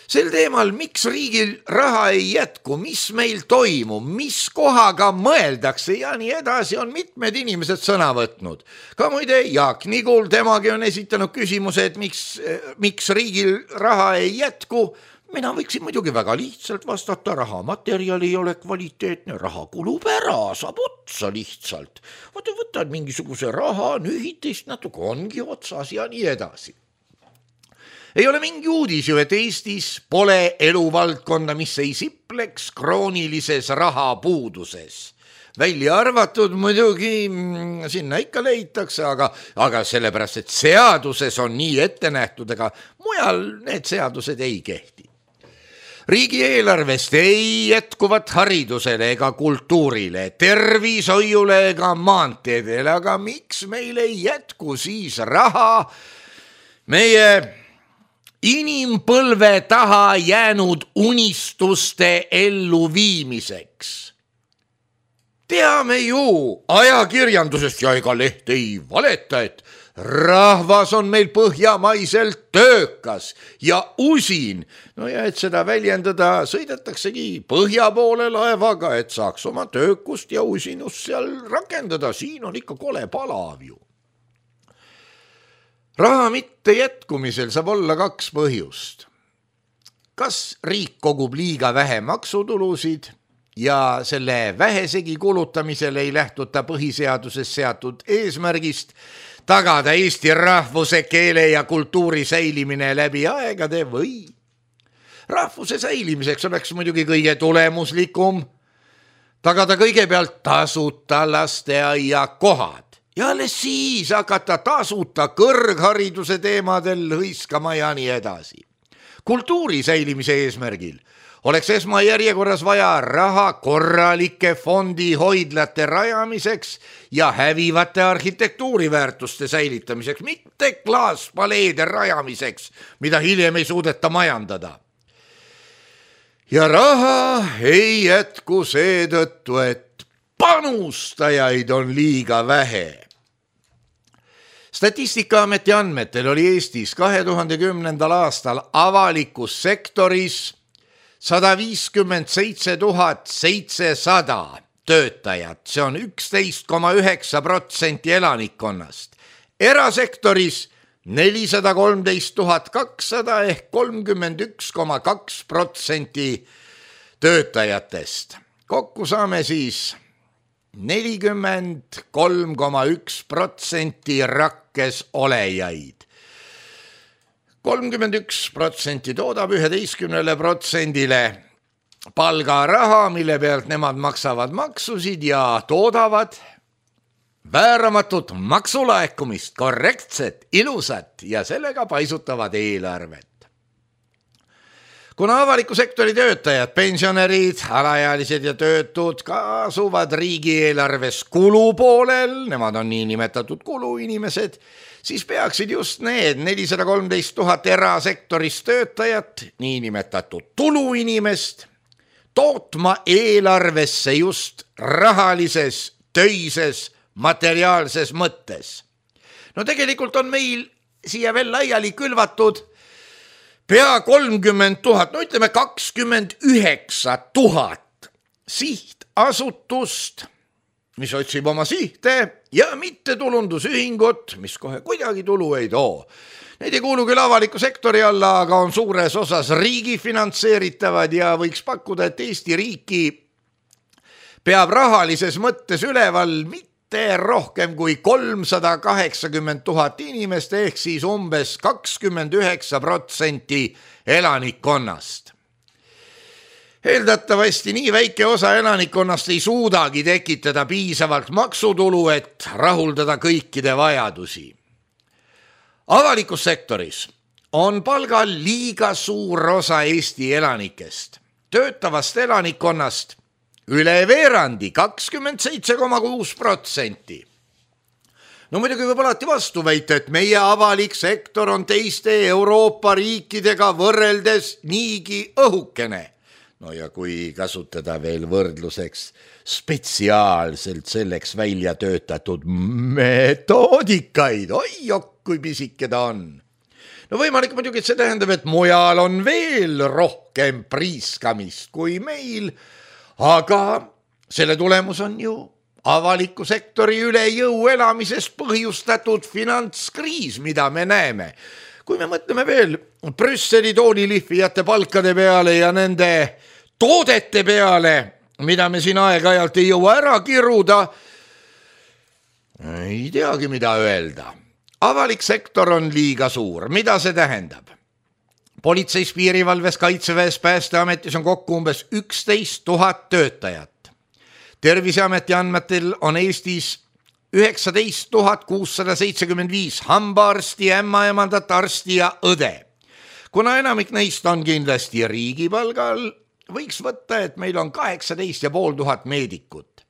Sel teemal, miks riigil raha ei jätku, mis meil toimub, mis kohaga mõeldakse ja nii edasi, on mitmed inimesed sõna võtnud. Ka muide Jaak Nigul, temagi on esitanud küsimuse, et miks riigil raha ei jätku. Mina võiksin muidugi väga lihtsalt vastata, rahamaterjal ei ole kvaliteetne, raha kulub ära, saab otsa lihtsalt. Võtad mingisuguse raha, nühitist natuke ongi otsas ja nii edasi. Ei ole mingi uudis ju, et Eestis pole eluvaldkonda, mis ei sipleks kroonilises rahapuuduses. Välja arvatud muidugi sinna ikka leitakse, aga sellepärast, et seaduses on nii ette nähtud, aga mujal need seadused ei kehti. Riigieelarvest ei jätkuvat haridusele ega kultuurile, tervishoiule ega maanteedele, aga miks meil ei jätku siis raha meie inimpõlve taha jäänud unistuste elluviimiseks? Teame ju ajakirjandusest ja ega leht ei valeta, et rahvas on meil põhjamaiselt töökas ja usin. No ja et seda väljendada, sõidetaksegi põhja poole laevaga, et saaks oma töökust ja usinust seal rakendada. Siin on ikka kole palav ju. Raha mitte jätkumisel saab olla kaks põhjust. Kas riik kogub liiga vähe maksutulusid ja selle vähesegi kulutamisel ei lähtuta põhiseaduses seatud eesmärgist tagada Eesti rahvuse, keele ja kultuuri säilimine läbi aegade või rahvuse säilimiseks oleks muidugi kõige tulemuslikum tagada kõigepealt tasuta lasteaia kohad ja alles siis hakata tasuta kõrghariduse teemadel hõiskama ja nii edasi. Kultuuri säilimise eesmärgil oleks esmajärjekorras vaja raha korralike fondihoidlate rajamiseks ja hävivate arhitektuuriväärtuste säilitamiseks, mitte klaaspaleede rajamiseks, mida hiljem ei suudeta majandada. Ja raha ei jätku seetõttu, et panustajaid on liiga vähe. Statistikaameti andmetel oli Eestis 2010. aastal avalikus sektoris 157 700 töötajat, see on 11,9% elanikkonnast. Erasektoris 413 200 ehk 31,2% töötajatest. Kokku saame siis 43,1% rakkes olejaid. 31% toodab 11%-le palgaraha, mille pealt nemad maksavad maksusid ja toodavad vääramatut maksulaekumist, korrektset, ilusat ja sellega paisutavad eelarvet. Kuna avaliku sektori töötajad, pensionärid, alaealised ja töötud kaasuvad riigieelarves kulupoolel, nemad on niinimetatud kuluinimesed, siis peaksid just need 413 000 erasektoris töötajat, niinimetatud tuluinimest, tootma eelarvesse just rahalises, töises, materiaalses mõttes. No tegelikult on meil siia veel laiali külvatud pea 30 000, no ütleme 29 000 sihtasutust, mis otsib oma sihte ja mittetulundusühingut, mis kohe kuidagi tulu ei too. Need ei kuulu küll avaliku sektori alla, aga on suures osas riigi finantseeritavad ja võiks pakkuda, et Eesti riiki peab rahalises mõttes üleval mitte rohkem kui 380 000 inimest ehk siis umbes 29% elanikkonnast. Eeldatavasti nii väike osa elanikkonnast ei suudagi tekitada piisavalt maksutulu, et rahuldada kõikide vajadusi. Avalikus sektoris on palgal liiga suur osa Eesti elanikest. Töötavast elanikkonnast üle veerandi, 27,6%. No muidugi võib alati vastu väita, et meie avalik sektor on teiste Euroopa riikidega võrreldes niigi õhukene. No ja kui kasutada veel võrdluseks spetsiaalselt selleks välja töötatud metoodikaid, oi kui pisike ta on. No võimalik muidugi, et see tähendab, et mujal on veel rohkem priiskamist kui meil, aga selle tulemus on ju avaliku sektori üle jõu elamisest põhjustatud finantskriis, mida me näeme. Kui me mõtleme veel Brüsseli toolilihvijate palkade peale ja nende toodete peale, mida me siin aeg-ajalt ei jõua ära kiruda, ei teagi, mida öelda. Avalik sektor on liiga suur. Mida see tähendab? Politseis, piirivalves, kaitseväes, päästeametis on kokku umbes 11 000 töötajat. Terviseameti andmetel on Eestis 19 675 hambaarsti, ämmaemandat, arsti ja õde. Kuna enamik neist on kindlasti riigipalgal, võiks võtta, et meil on 18 500 meedikut.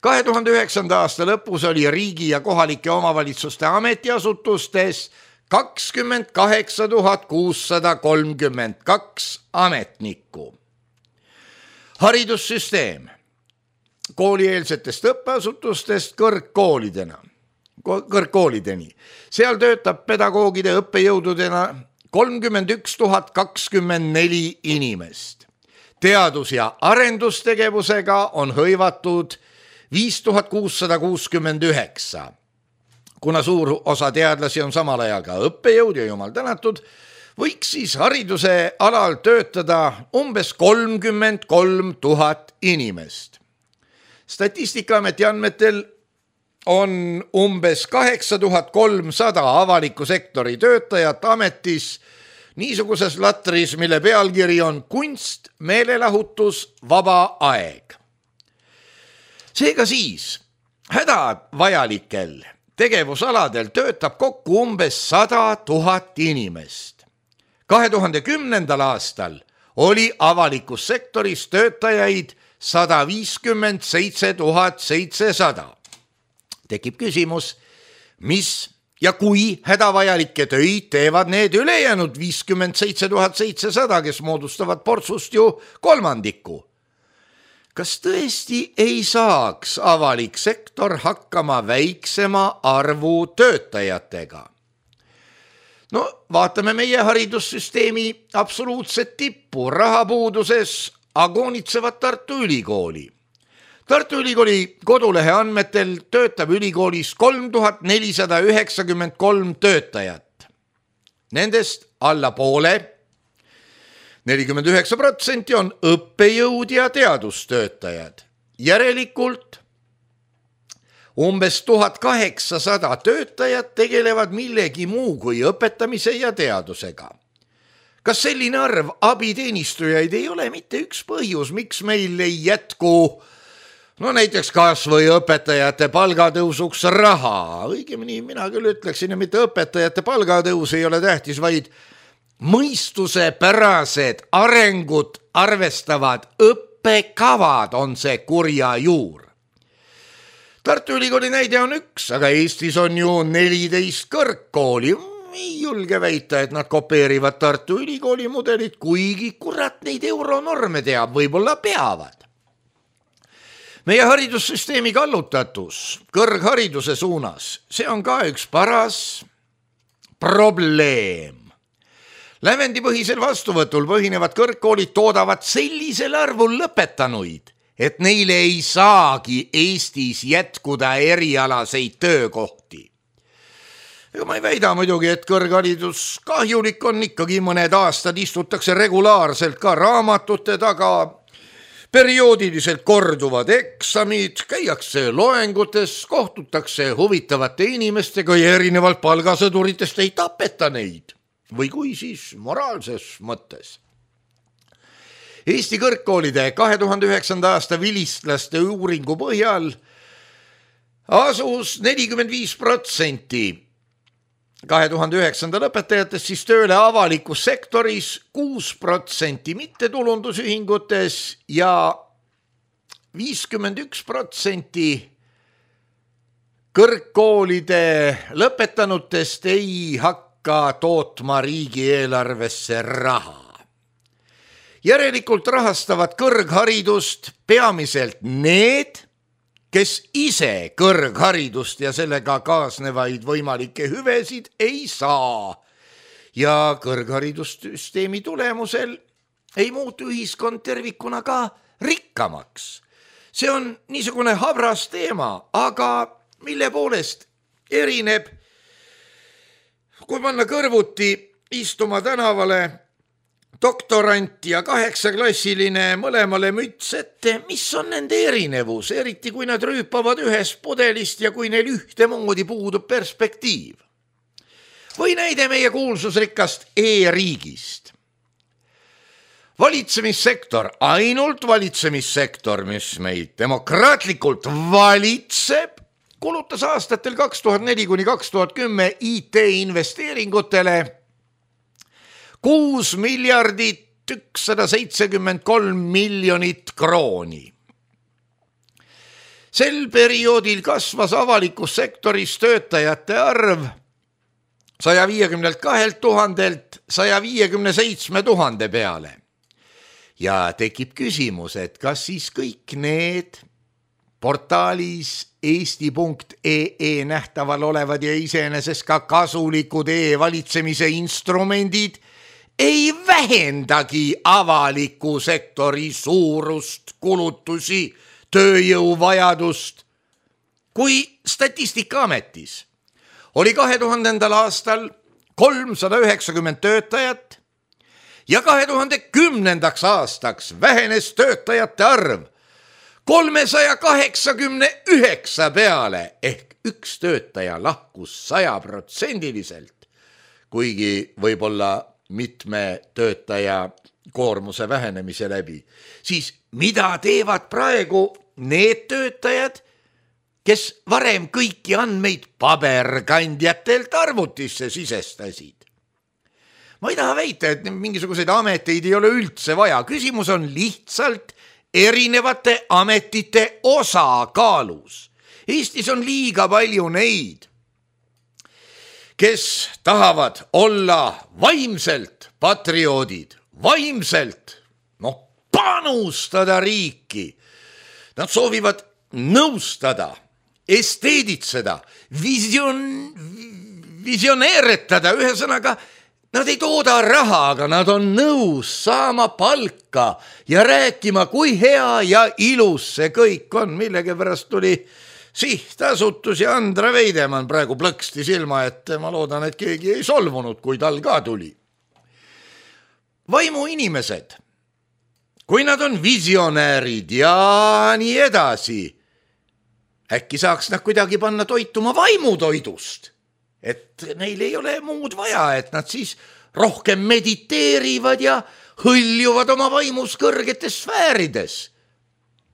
2009. aasta lõpus oli riigi ja kohalike omavalitsuste ametiasutustes 28 632 ametnikku. Haridussüsteem koolieelsetest õppeasutustest kõrgkoolidena. kõrgkoolideni. Seal töötab pedagoogide õppejõududena 31 024 inimest. Teadus- ja arendustegevusega on hõivatud 5669. Kuna suur osa teadlasi on samal ajal ka õppejõud ja jumal tänatud, võiks siis hariduse alal töötada umbes 33 000 inimest. Statistikaameti andmetel on umbes 8300 avaliku sektori töötajat ametis niisuguses latris, mille pealkiri on kunst, meelelahutus, vaba aeg. Seega siis hädavajalikel tegevusaladel töötab kokku umbes 100 000 inimest. 2010. aastal oli avalikus sektoris töötajaid 157 700. Tekib küsimus, mis ja kui hädavajalikke töid teevad need ülejäänud 57 700, kes moodustavad portsust ju kolmandiku. Kas tõesti ei saaks avalik sektor hakkama väiksema arvu töötajatega? No vaatame meie haridussüsteemi absoluutset tippu, rahapuuduses agoonitsevat Tartu Ülikooli. Tartu Ülikooli kodulehe andmetel töötab ülikoolis 3493 töötajat. Nendest alla poole, 49% on õppejõud ja teadustöötajad. Järelikult umbes 1800 töötajat tegelevad millegi muu kui õpetamise ja teadusega. Kas selline arv abiteenistujaid ei ole mitte üks põhjus, miks meil ei jätku näiteks kas või õpetajate palgatõusuks raha? Õigemini mina küll ütleksin, et mitte õpetajate palgatõus ei ole tähtis, vaid mõistusepärased arengut arvestavad õppekavad on see kurja juur. Tartu Ülikooli näide on üks, aga Eestis on ju 14 kõrgkooli. Ei julge väita, et nad kopeerivad Tartu Ülikooli mudelit, kuigi kurat neid euronorme teab, võib-olla peavad. Meie haridussüsteemi kallutatus kõrghariduse suunas, see on ka üks paras probleem. Lävendipõhisel vastuvõtul põhinevad kõrgkoolid toodavad sellisel arvul lõpetanuid, et neile ei saagi Eestis jätkuda erialaseid töökohti. Ega ma ei väida muidugi, et kõrgharidus kahjulik on, ikkagi mõned aastad istutakse regulaarselt ka raamatute taga, perioodiliselt korduvad eksamid, käiakse loengutes, kohtutakse huvitavate inimestega ja erinevalt palgasõduritest ei tapeta neid. Või kui siis moraalses mõttes. Eesti kõrgkoolide 2009. aasta vilistlaste uuringu põhjal asus 45% 2009. õpetajatest siis tööle avalikus sektoris, 6% mittetulundusühingutes ja 51% kõrgkoolide lõpetanutest ei hakka tootma riigieelarvesse raha. Järelikult rahastavad kõrgharidust peamiselt need, kes ise kõrgharidust ja sellega kaasnevaid võimalikke hüvesid ei saa. Ja kõrgharidussüsteemi tulemusel ei muutu ühiskond tervikuna ka rikkamaks. See on niisugune habras teema, aga mille poolest erineb, kui panna kõrvuti istuma tänavale doktorant ja 8-klassiline mõlemale müts ette, mis on nende erinevus, eriti kui nad rüüpavad ühest pudelist ja kui neil ühtemoodi puudub perspektiiv. Või näide meie kuulsusrikkast e-riigist. Valitsemissektor, ainult valitsemissektor, mis meid demokraatlikult valitseb, kulutas aastatel 2004–2010 IT-investeeringutele 6 173 miljonit krooni. Sel perioodil kasvas avalikus sektoris töötajate arv 152 000-lt 157 000 peale. Ja tekib küsimus, et kas siis kõik need portaalis eesti.ee nähtaval olevad ja iseenesest ka kasulikud e-valitsemise instrumendid ei vähendagi avaliku sektori suurust, kulutusi, tööjõuvajadust. Kui Statistikaametis oli 2000. aastal 390 töötajat ja 2010. aastaks vähenes töötajate arv 389 peale ehk üks töötaja lahkus 100%, kuigi võib-olla mitme töötaja koormuse vähenemise läbi, siis mida teevad praegu need töötajad, kes varem kõiki andmeid paberkandjatelt arvutisse sisestasid? Ma ei taha väita, et mingisuguseid ameteid ei ole üldse vaja. Küsimus on lihtsalt erinevate ametite osakaalus. Eestis on liiga palju neid, kes tahavad olla vaimselt patrioodid, vaimselt panustada riiki. Nad soovivad nõustada, esteeditseda, visioneeretada, ühesõnaga, nad ei tooda raha, aga nad on nõus saama palka ja rääkima, kui hea ja ilus see kõik on. Millegipärast tuli sihtasutus ja Andra Veidemann praegu plõksti silma, et ma loodan, et keegi ei solvunud, kui tal ka tuli. Vaimuinimesed, kui nad on visionäärid ja nii edasi, äkki saaks nad kuidagi panna toituma vaimutoidust, et neil ei ole muud vaja, et nad siis rohkem mediteerivad ja hõljuvad oma vaimus kõrgetes sfäärides.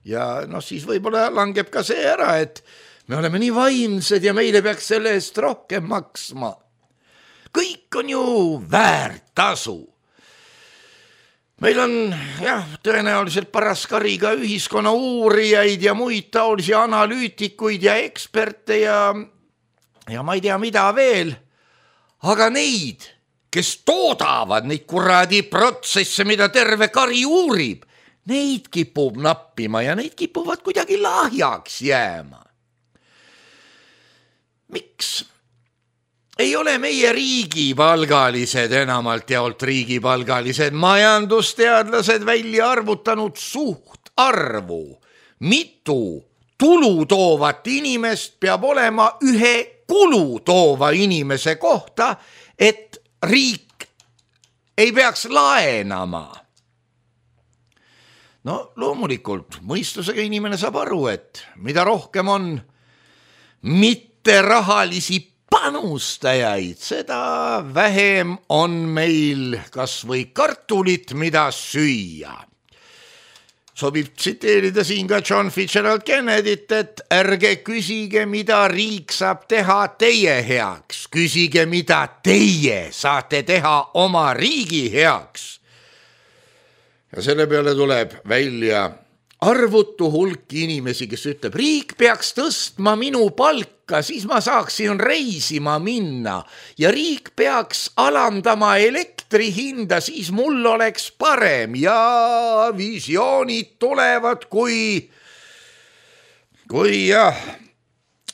Ja siis võib-olla langeb ka see ära, et me oleme nii vaimsed ja meile peaks selle eest rohkem maksma. Kõik on ju väärt tasu. Meil on tõenäoliselt paras kariga ühiskonna uurijaid ja muid taolisi analüütikuid ja eksperte ja ma ei tea mida veel, aga neid, kes toodavad neid kuradi protsesse, mida terve kari uurib, neid kipub nappima ja neid kipuvad kuidagi lahjaks jääma. Miks ei ole meie riigipalgalised, enamalt jaolt riigipalgalised majandusteadlased välja arvutanud suhtarvu, mitu tulu toovat inimest peab olema ühe kulu toova inimese kohta, et riik ei peaks laenama? Loomulikult mõistusega inimene saab aru, et mida rohkem on mitte rahalisi panustajaid, seda vähem on meil kas või kartulit, mida süüa. Sobib tsiteerida siin ka John Fitzgerald Kennedyt, et ärge küsige, mida riik saab teha teie heaks. Küsige, mida teie saate teha oma riigi heaks. Ja selle peale tuleb välja arvutu hulk inimesi, kes ütleb, riik peaks tõstma minu palka, siis ma saaksin reisima minna ja riik peaks alandama elektri hinda, siis mul oleks parem ja visioonid tulevad, kui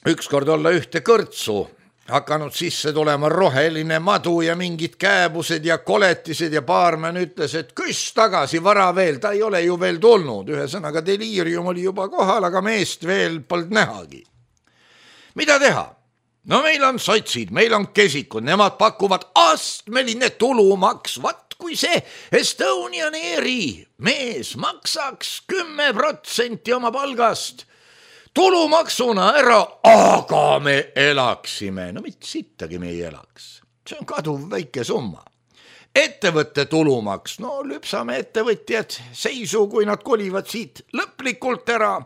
ükskord olla ühte kõrtsu hakanud sisse tulema roheline madu ja mingid kääbused ja koletised ja baarmen ütles, et küss tagasi, vara veel, ta ei ole ju veel tulnud. Ühesõnaga deliirium oli juba kohal, aga meest veel polnud nähagi. Mida teha? Meil on sotsid, meil on kesikud, nemad pakuvad astmeline tulumaks. Vat kui see Estonian Airi mees maksaks 10% oma palgast tulumaksuna ära, aga me elaksime. Mitte sittagi me ei elaks. See on kaduv väike summa. Ettevõtte tulumaks, lüpsame ettevõtjad seisu, kui nad kolivad siit lõplikult ära.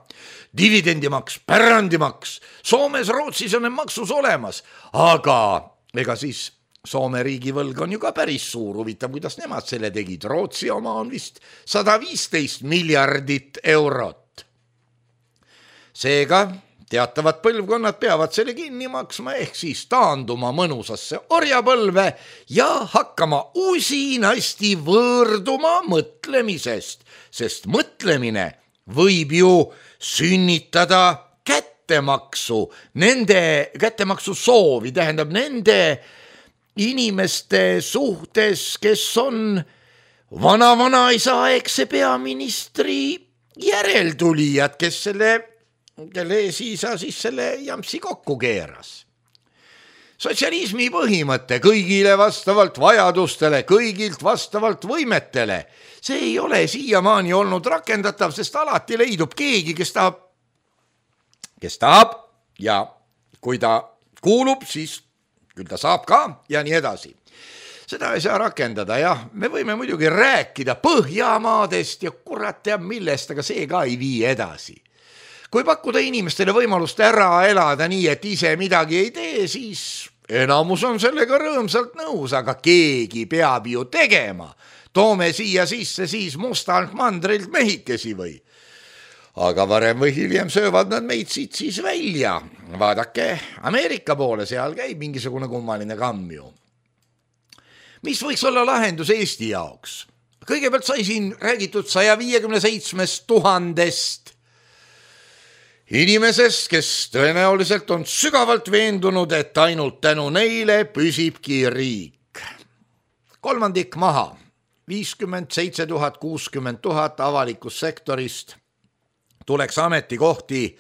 Dividendimaks, pärandimaks. Soomes, Rootsis on maksus olemas, aga ega siis Soome riigivõlg on ju ka päris suur. Huvitav, kuidas nemad selle tegid. Rootsi oma on vist 115 miljardit eurot. Seega teatavad põlvkonnad peavad selle kinni maksma ehk siis taanduma mõnusasse orjapõlve ja hakkama usinasti võõrduma mõtlemisest, sest mõtlemine võib ju sünnitada kättemaksu soovi, tähendab nende inimeste suhtes, kes on vana-vanaisaegse peaministri järeltulijad, kelle eesisa siis selle jampsi kokku keeras. Sotsialismi põhimõte kõigile vastavalt vajadustele, kõigilt vastavalt võimetele, see ei ole siiamaani olnud rakendatav, sest alati leidub keegi, kes tahab ja kui ta kuulub, siis küll ta saab ka ja nii edasi. Seda ei saa rakendada, jah, me võime muidugi rääkida Põhjamaadest ja kurat teab millest, aga see ka ei vii edasi. Kui pakkuda inimestele võimalust ära elada nii, et ise midagi ei tee, siis enamus on sellega rõõmsalt nõus, aga keegi peab ju tegema. Toome siia sisse siis mustalt mandrilt mehikesi või. Aga varem või hiljem söövad nad meid siit siis välja. Vaadake Ameerika poole, seal käib mingisugune kummaline kamm ju. Mis võiks olla lahendus Eesti jaoks? Kõigepealt sai siin räägitud 157 000 inimesest, kes tõenäoliselt on sügavalt veendunud, et ainult tänu neile püsibki riik. Kolmandik maha, 57 000, 60 000 avalikust sektorist tuleks ametikohti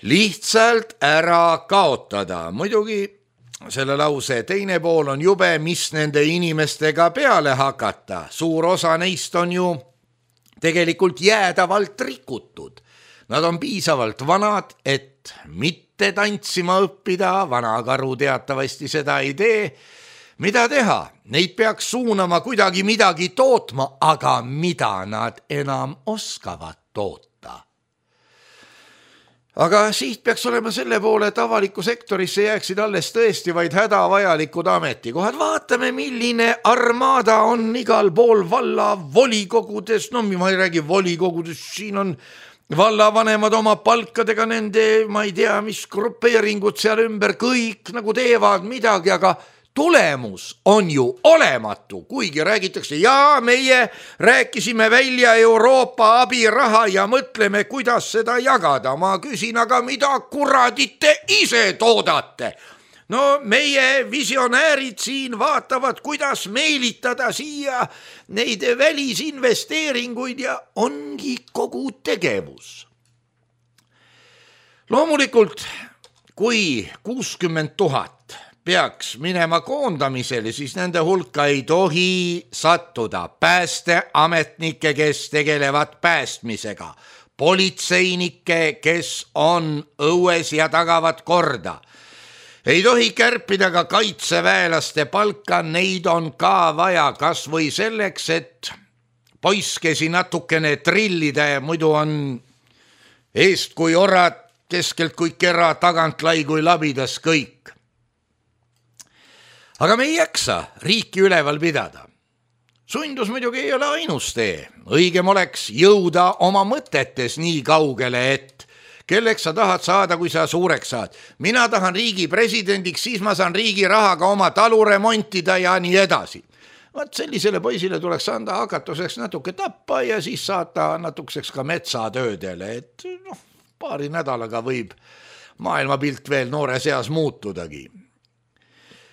lihtsalt ära kaotada. Muidugi selle lause teine pool on jube, mis nende inimestega peale hakata. Suur osa neist on ju tegelikult jäädavalt rikutud. Nad on piisavalt vanad, et mitte tantsima õppida, vanakaru teatavasti seda ei tee. Mida teha? Neid peaks suunama kuidagi midagi tootma, aga mida nad enam oskavad toota? Aga siit peaks olema selle poole, et avalikku sektorisse jääksid alles tõesti vaid hädavajalikud ametikohad. Vaatame, milline armada on igal pool valla volikogudes. No ma ei räägi volikogudes, siin on vallavanemad oma palkadega, nende, ma ei tea, mis grupeeringud seal ümber, kõik nagu teevad midagi, aga tulemus on ju olematu, kuigi räägitakse, ja meie rääkisime välja Euroopa abiraha ja mõtleme, kuidas seda jagada. Ma küsin, aga mida kuradit te ise toodate? No meie visionäärid siin vaatavad, kuidas meelitada siia neid välisinvesteeringuid ja ongi kogu tegevus. Loomulikult, kui 60 000 peaks minema koondamisele, siis nende hulka ei tohi sattuda päästeametnikke, kes tegelevad päästmisega, politseinikke, kes on õues ja tagavad korda. Ei tohi kärpida ka kaitseväelaste palka, neid on ka vaja kas või selleks, et poiskesi natukene trillida ja muidu on eest kui orad, keskelt kui kera, tagant lai kui labidas kõik. Aga me ei jaksa riiki üleval pidada. Sundus muidugi ei ole ainus tee. Õigem oleks jõuda oma mõtetes nii kaugele, et kelleks sa tahad saada, kui sa suureks saad. Mina tahan riigi presidendiks, siis ma saan riigi rahaga oma talu remontida ja nii edasi. Vaat sellisele poisile tuleks anda hakatuseks natuke tappa ja siis saata natukeseks ka metsatöödele, et paari nädalaga võib maailmapilt veel noore seas muutudagi.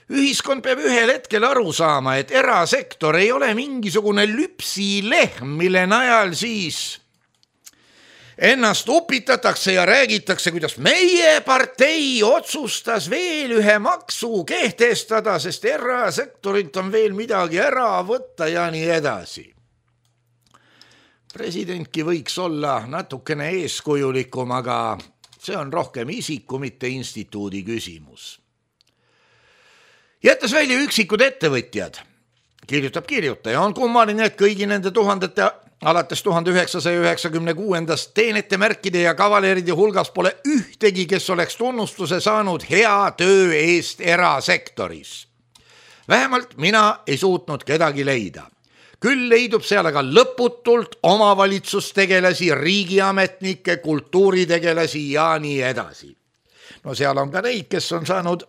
Ühiskond peab ühel hetkel aru saama, et erasektor ei ole mingisugune lüpsilehm, mille najal siis ennast upitatakse ja räägitakse, kuidas meie partei otsustas veel ühe maksu kehtestada, sest erasektorilt on veel midagi ära võtta ja nii edasi. Presidentki võiks olla natukene eeskujulikum, aga see on rohkem isiku, mitte instituudi küsimus. Jättes välja üksikud ettevõtjad, kirjutab kirjutaja, on kummaline, et kõigi nende tuhandete alates 1996 teenete märkide ja kavaleride hulgas pole ühtegi, kes oleks tunnustuse saanud hea töö eest erasektoris. Vähemalt mina ei suutnud kedagi leida. Küll leidub seal aga lõputult omavalitsustegelasi, riigiametnikke, kultuuritegelasi ja nii edasi. No seal on ka neid, kes on saanud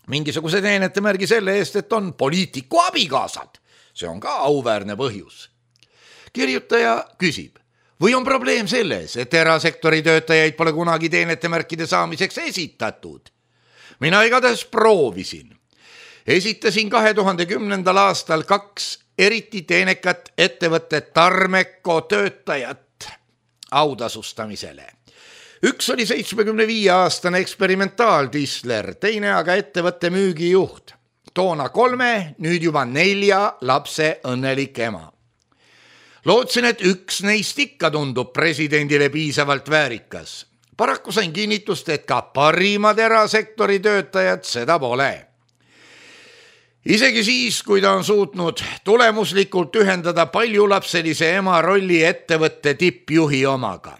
mingisuguse teenete märgi selle eest, et on poliitiku abikaasad. See on ka auväärne põhjus. Kirjutaja küsib, Või on probleem selles, et erasektori töötajaid pole kunagi teenetemärkide saamiseks esitatud? Mina igatahes proovisin. Esitasin 2010. aastal 2 eriti teenekat ettevõtte Tarmeko töötajat autasustamisele. Üks oli 75-aastane eksperimentaaltisler, teine aga ettevõtte müügijuht. Toona 3, nüüd juba 4 lapse õnnelik ema. Lootsin, et üks neist ikka tundub presidendile piisavalt väärikas. Paraku sain kinnitust, et ka parimad erasektori töötajad seda pole. Isegi siis, kui ta on suutnud tulemuslikult ühendada paljulapselise ema rolli ettevõtte tippjuhi omaga.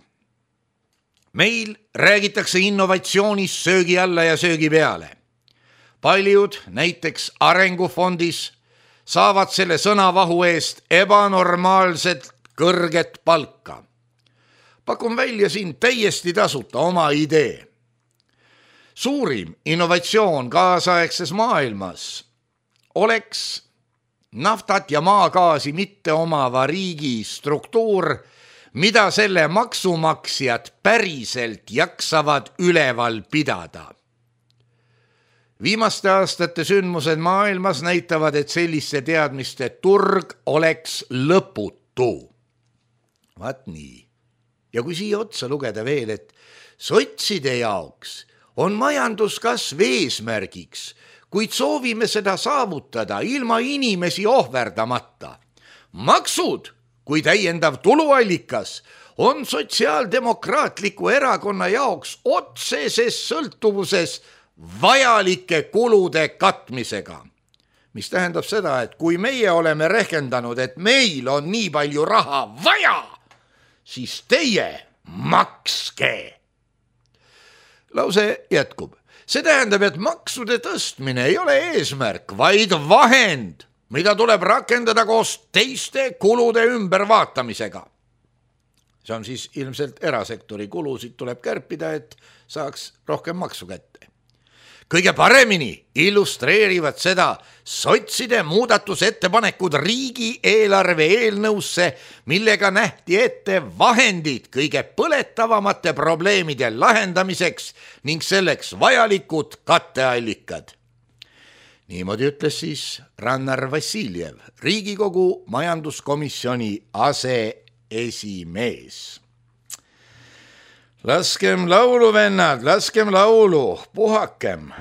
Meil räägitakse innovatsioonist söögi alla ja söögi peale. Paljud, näiteks Arengufondis, saavad selle sõnavahu eest ebanormaalselt kõrget palka. Pakun välja siin täiesti tasuta oma idee. Suurim innovatsioon kaasaegses maailmas oleks naftat ja maagaasi mitte omava riigi struktuur, mida selle maksumaksjad päriselt jaksavad üleval pidada. Viimaste aastate sündmused maailmas näitavad, et selliste teadmiste turg oleks lõputu. Vaat nii. Ja kui siia otsa lugeda veel, et sotside jaoks on majanduskasv eesmärgiks, kuid soovime seda saavutada ilma inimesi ohverdamata. Maksud kui täiendav tuluallikas on sotsiaaldemokraatliku erakonna jaoks otseses sõltuvuses vajalike kulude katmisega. Mis tähendab seda, et kui meie oleme rehkendanud, et meil on nii palju raha vaja, siis teie makske. Lause jätkub. See tähendab, et maksude tõstmine ei ole eesmärk, vaid vahend, mida tuleb rakendada koos teiste kulude ümbervaatamisega. See on siis ilmselt erasektori kulusid tuleb kärpida, et saaks rohkem maksu kätte. Kõige paremini illustreerivad seda sotside muudatusettepanekud riigieelarve eelnõusse, millega nähti ette vahendid kõige põletavamate probleemide lahendamiseks ning selleks vajalikud katteallikad. Niimoodi ütles siis Rannar Vassiljev, Riigikogu majanduskomisjoni aseesimees. Laskem laulu, vennad, laskem laulu, puhakem.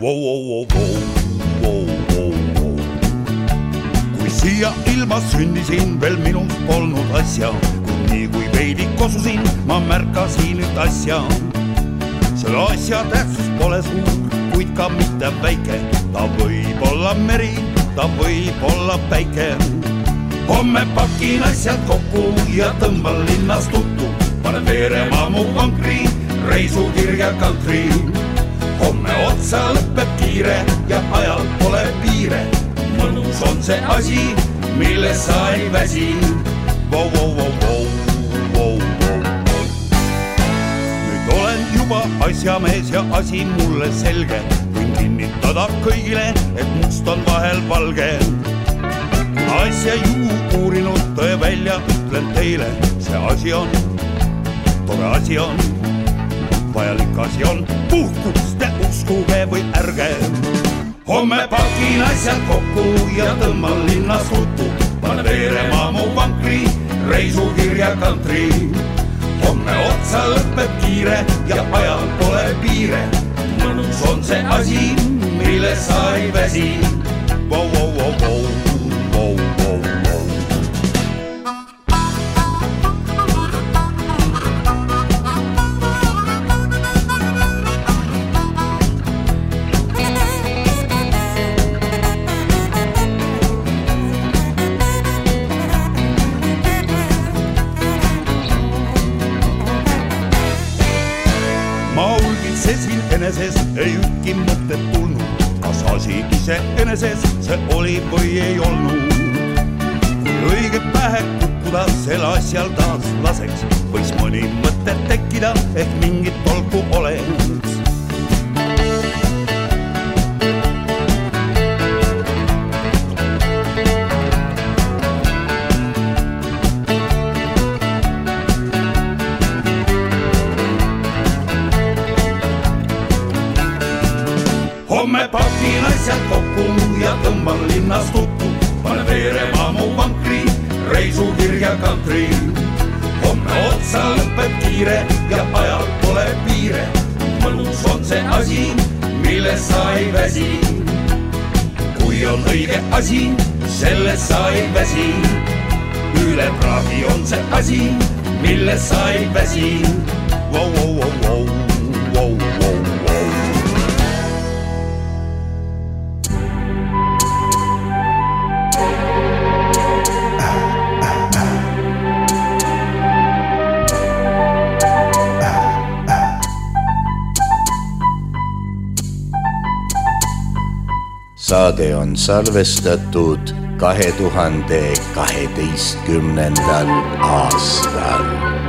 Kui siia ilma sündisin, veel minust polnud asja, nii kui veidi kosusin, ma märkasin nüüd asja. Selle asja tähtsus pole suur, kuid ka mitte väike. Ta võib olla meri, ta võib olla päike. Homme pakin asjad kokku ja tõmban linnas tuttu. Panen veerema mu vankri, reisukirja kantri. Homme otsa lõpeb kiire ja ajal pole piire. Mõnus on see asi, mille sa ei väsi. Nüüd olen juba asjamees ja asi mulle selge. Võin kinnitada kõigile, et must on vahel valge. Asja ju uurinud tõe välja, ütlen teile, see asi on tore asi on, vajalik asi on, puhkust te uskuge või ärge. Homme pakin asjad kokku ja tõmban linnas tuttu. Panen veerema mu vankri, reisukirja kantri. Homme otsa lõpeb kiire ja ajal pole piire. Mõnus on see asi, mille sa ei väsi. Eneses ei ükki mõtted tulnud, kas asi ise eneses see oli või ei olnud. Kui õige pähe kukkuda sel asjal taas laseks, võis mõni mõte tekkida, ehk mingit tolku oleks. Homme pakin asjad kokku ja tõmban linnas tuttu. Pane veerema mu vankri, reisukirja kantri. Homme otsa lõpeb kiire ja ajal pole piire. Mõlus on see asi, milles sa ei väsi. Kui on õige asi, selles sa ei väsi. Üle praagi on see asi, milles sa ei väsi. Wow, wow, wow, wow, wow, wow, wow. Saade on salvestatud 2012. aastal.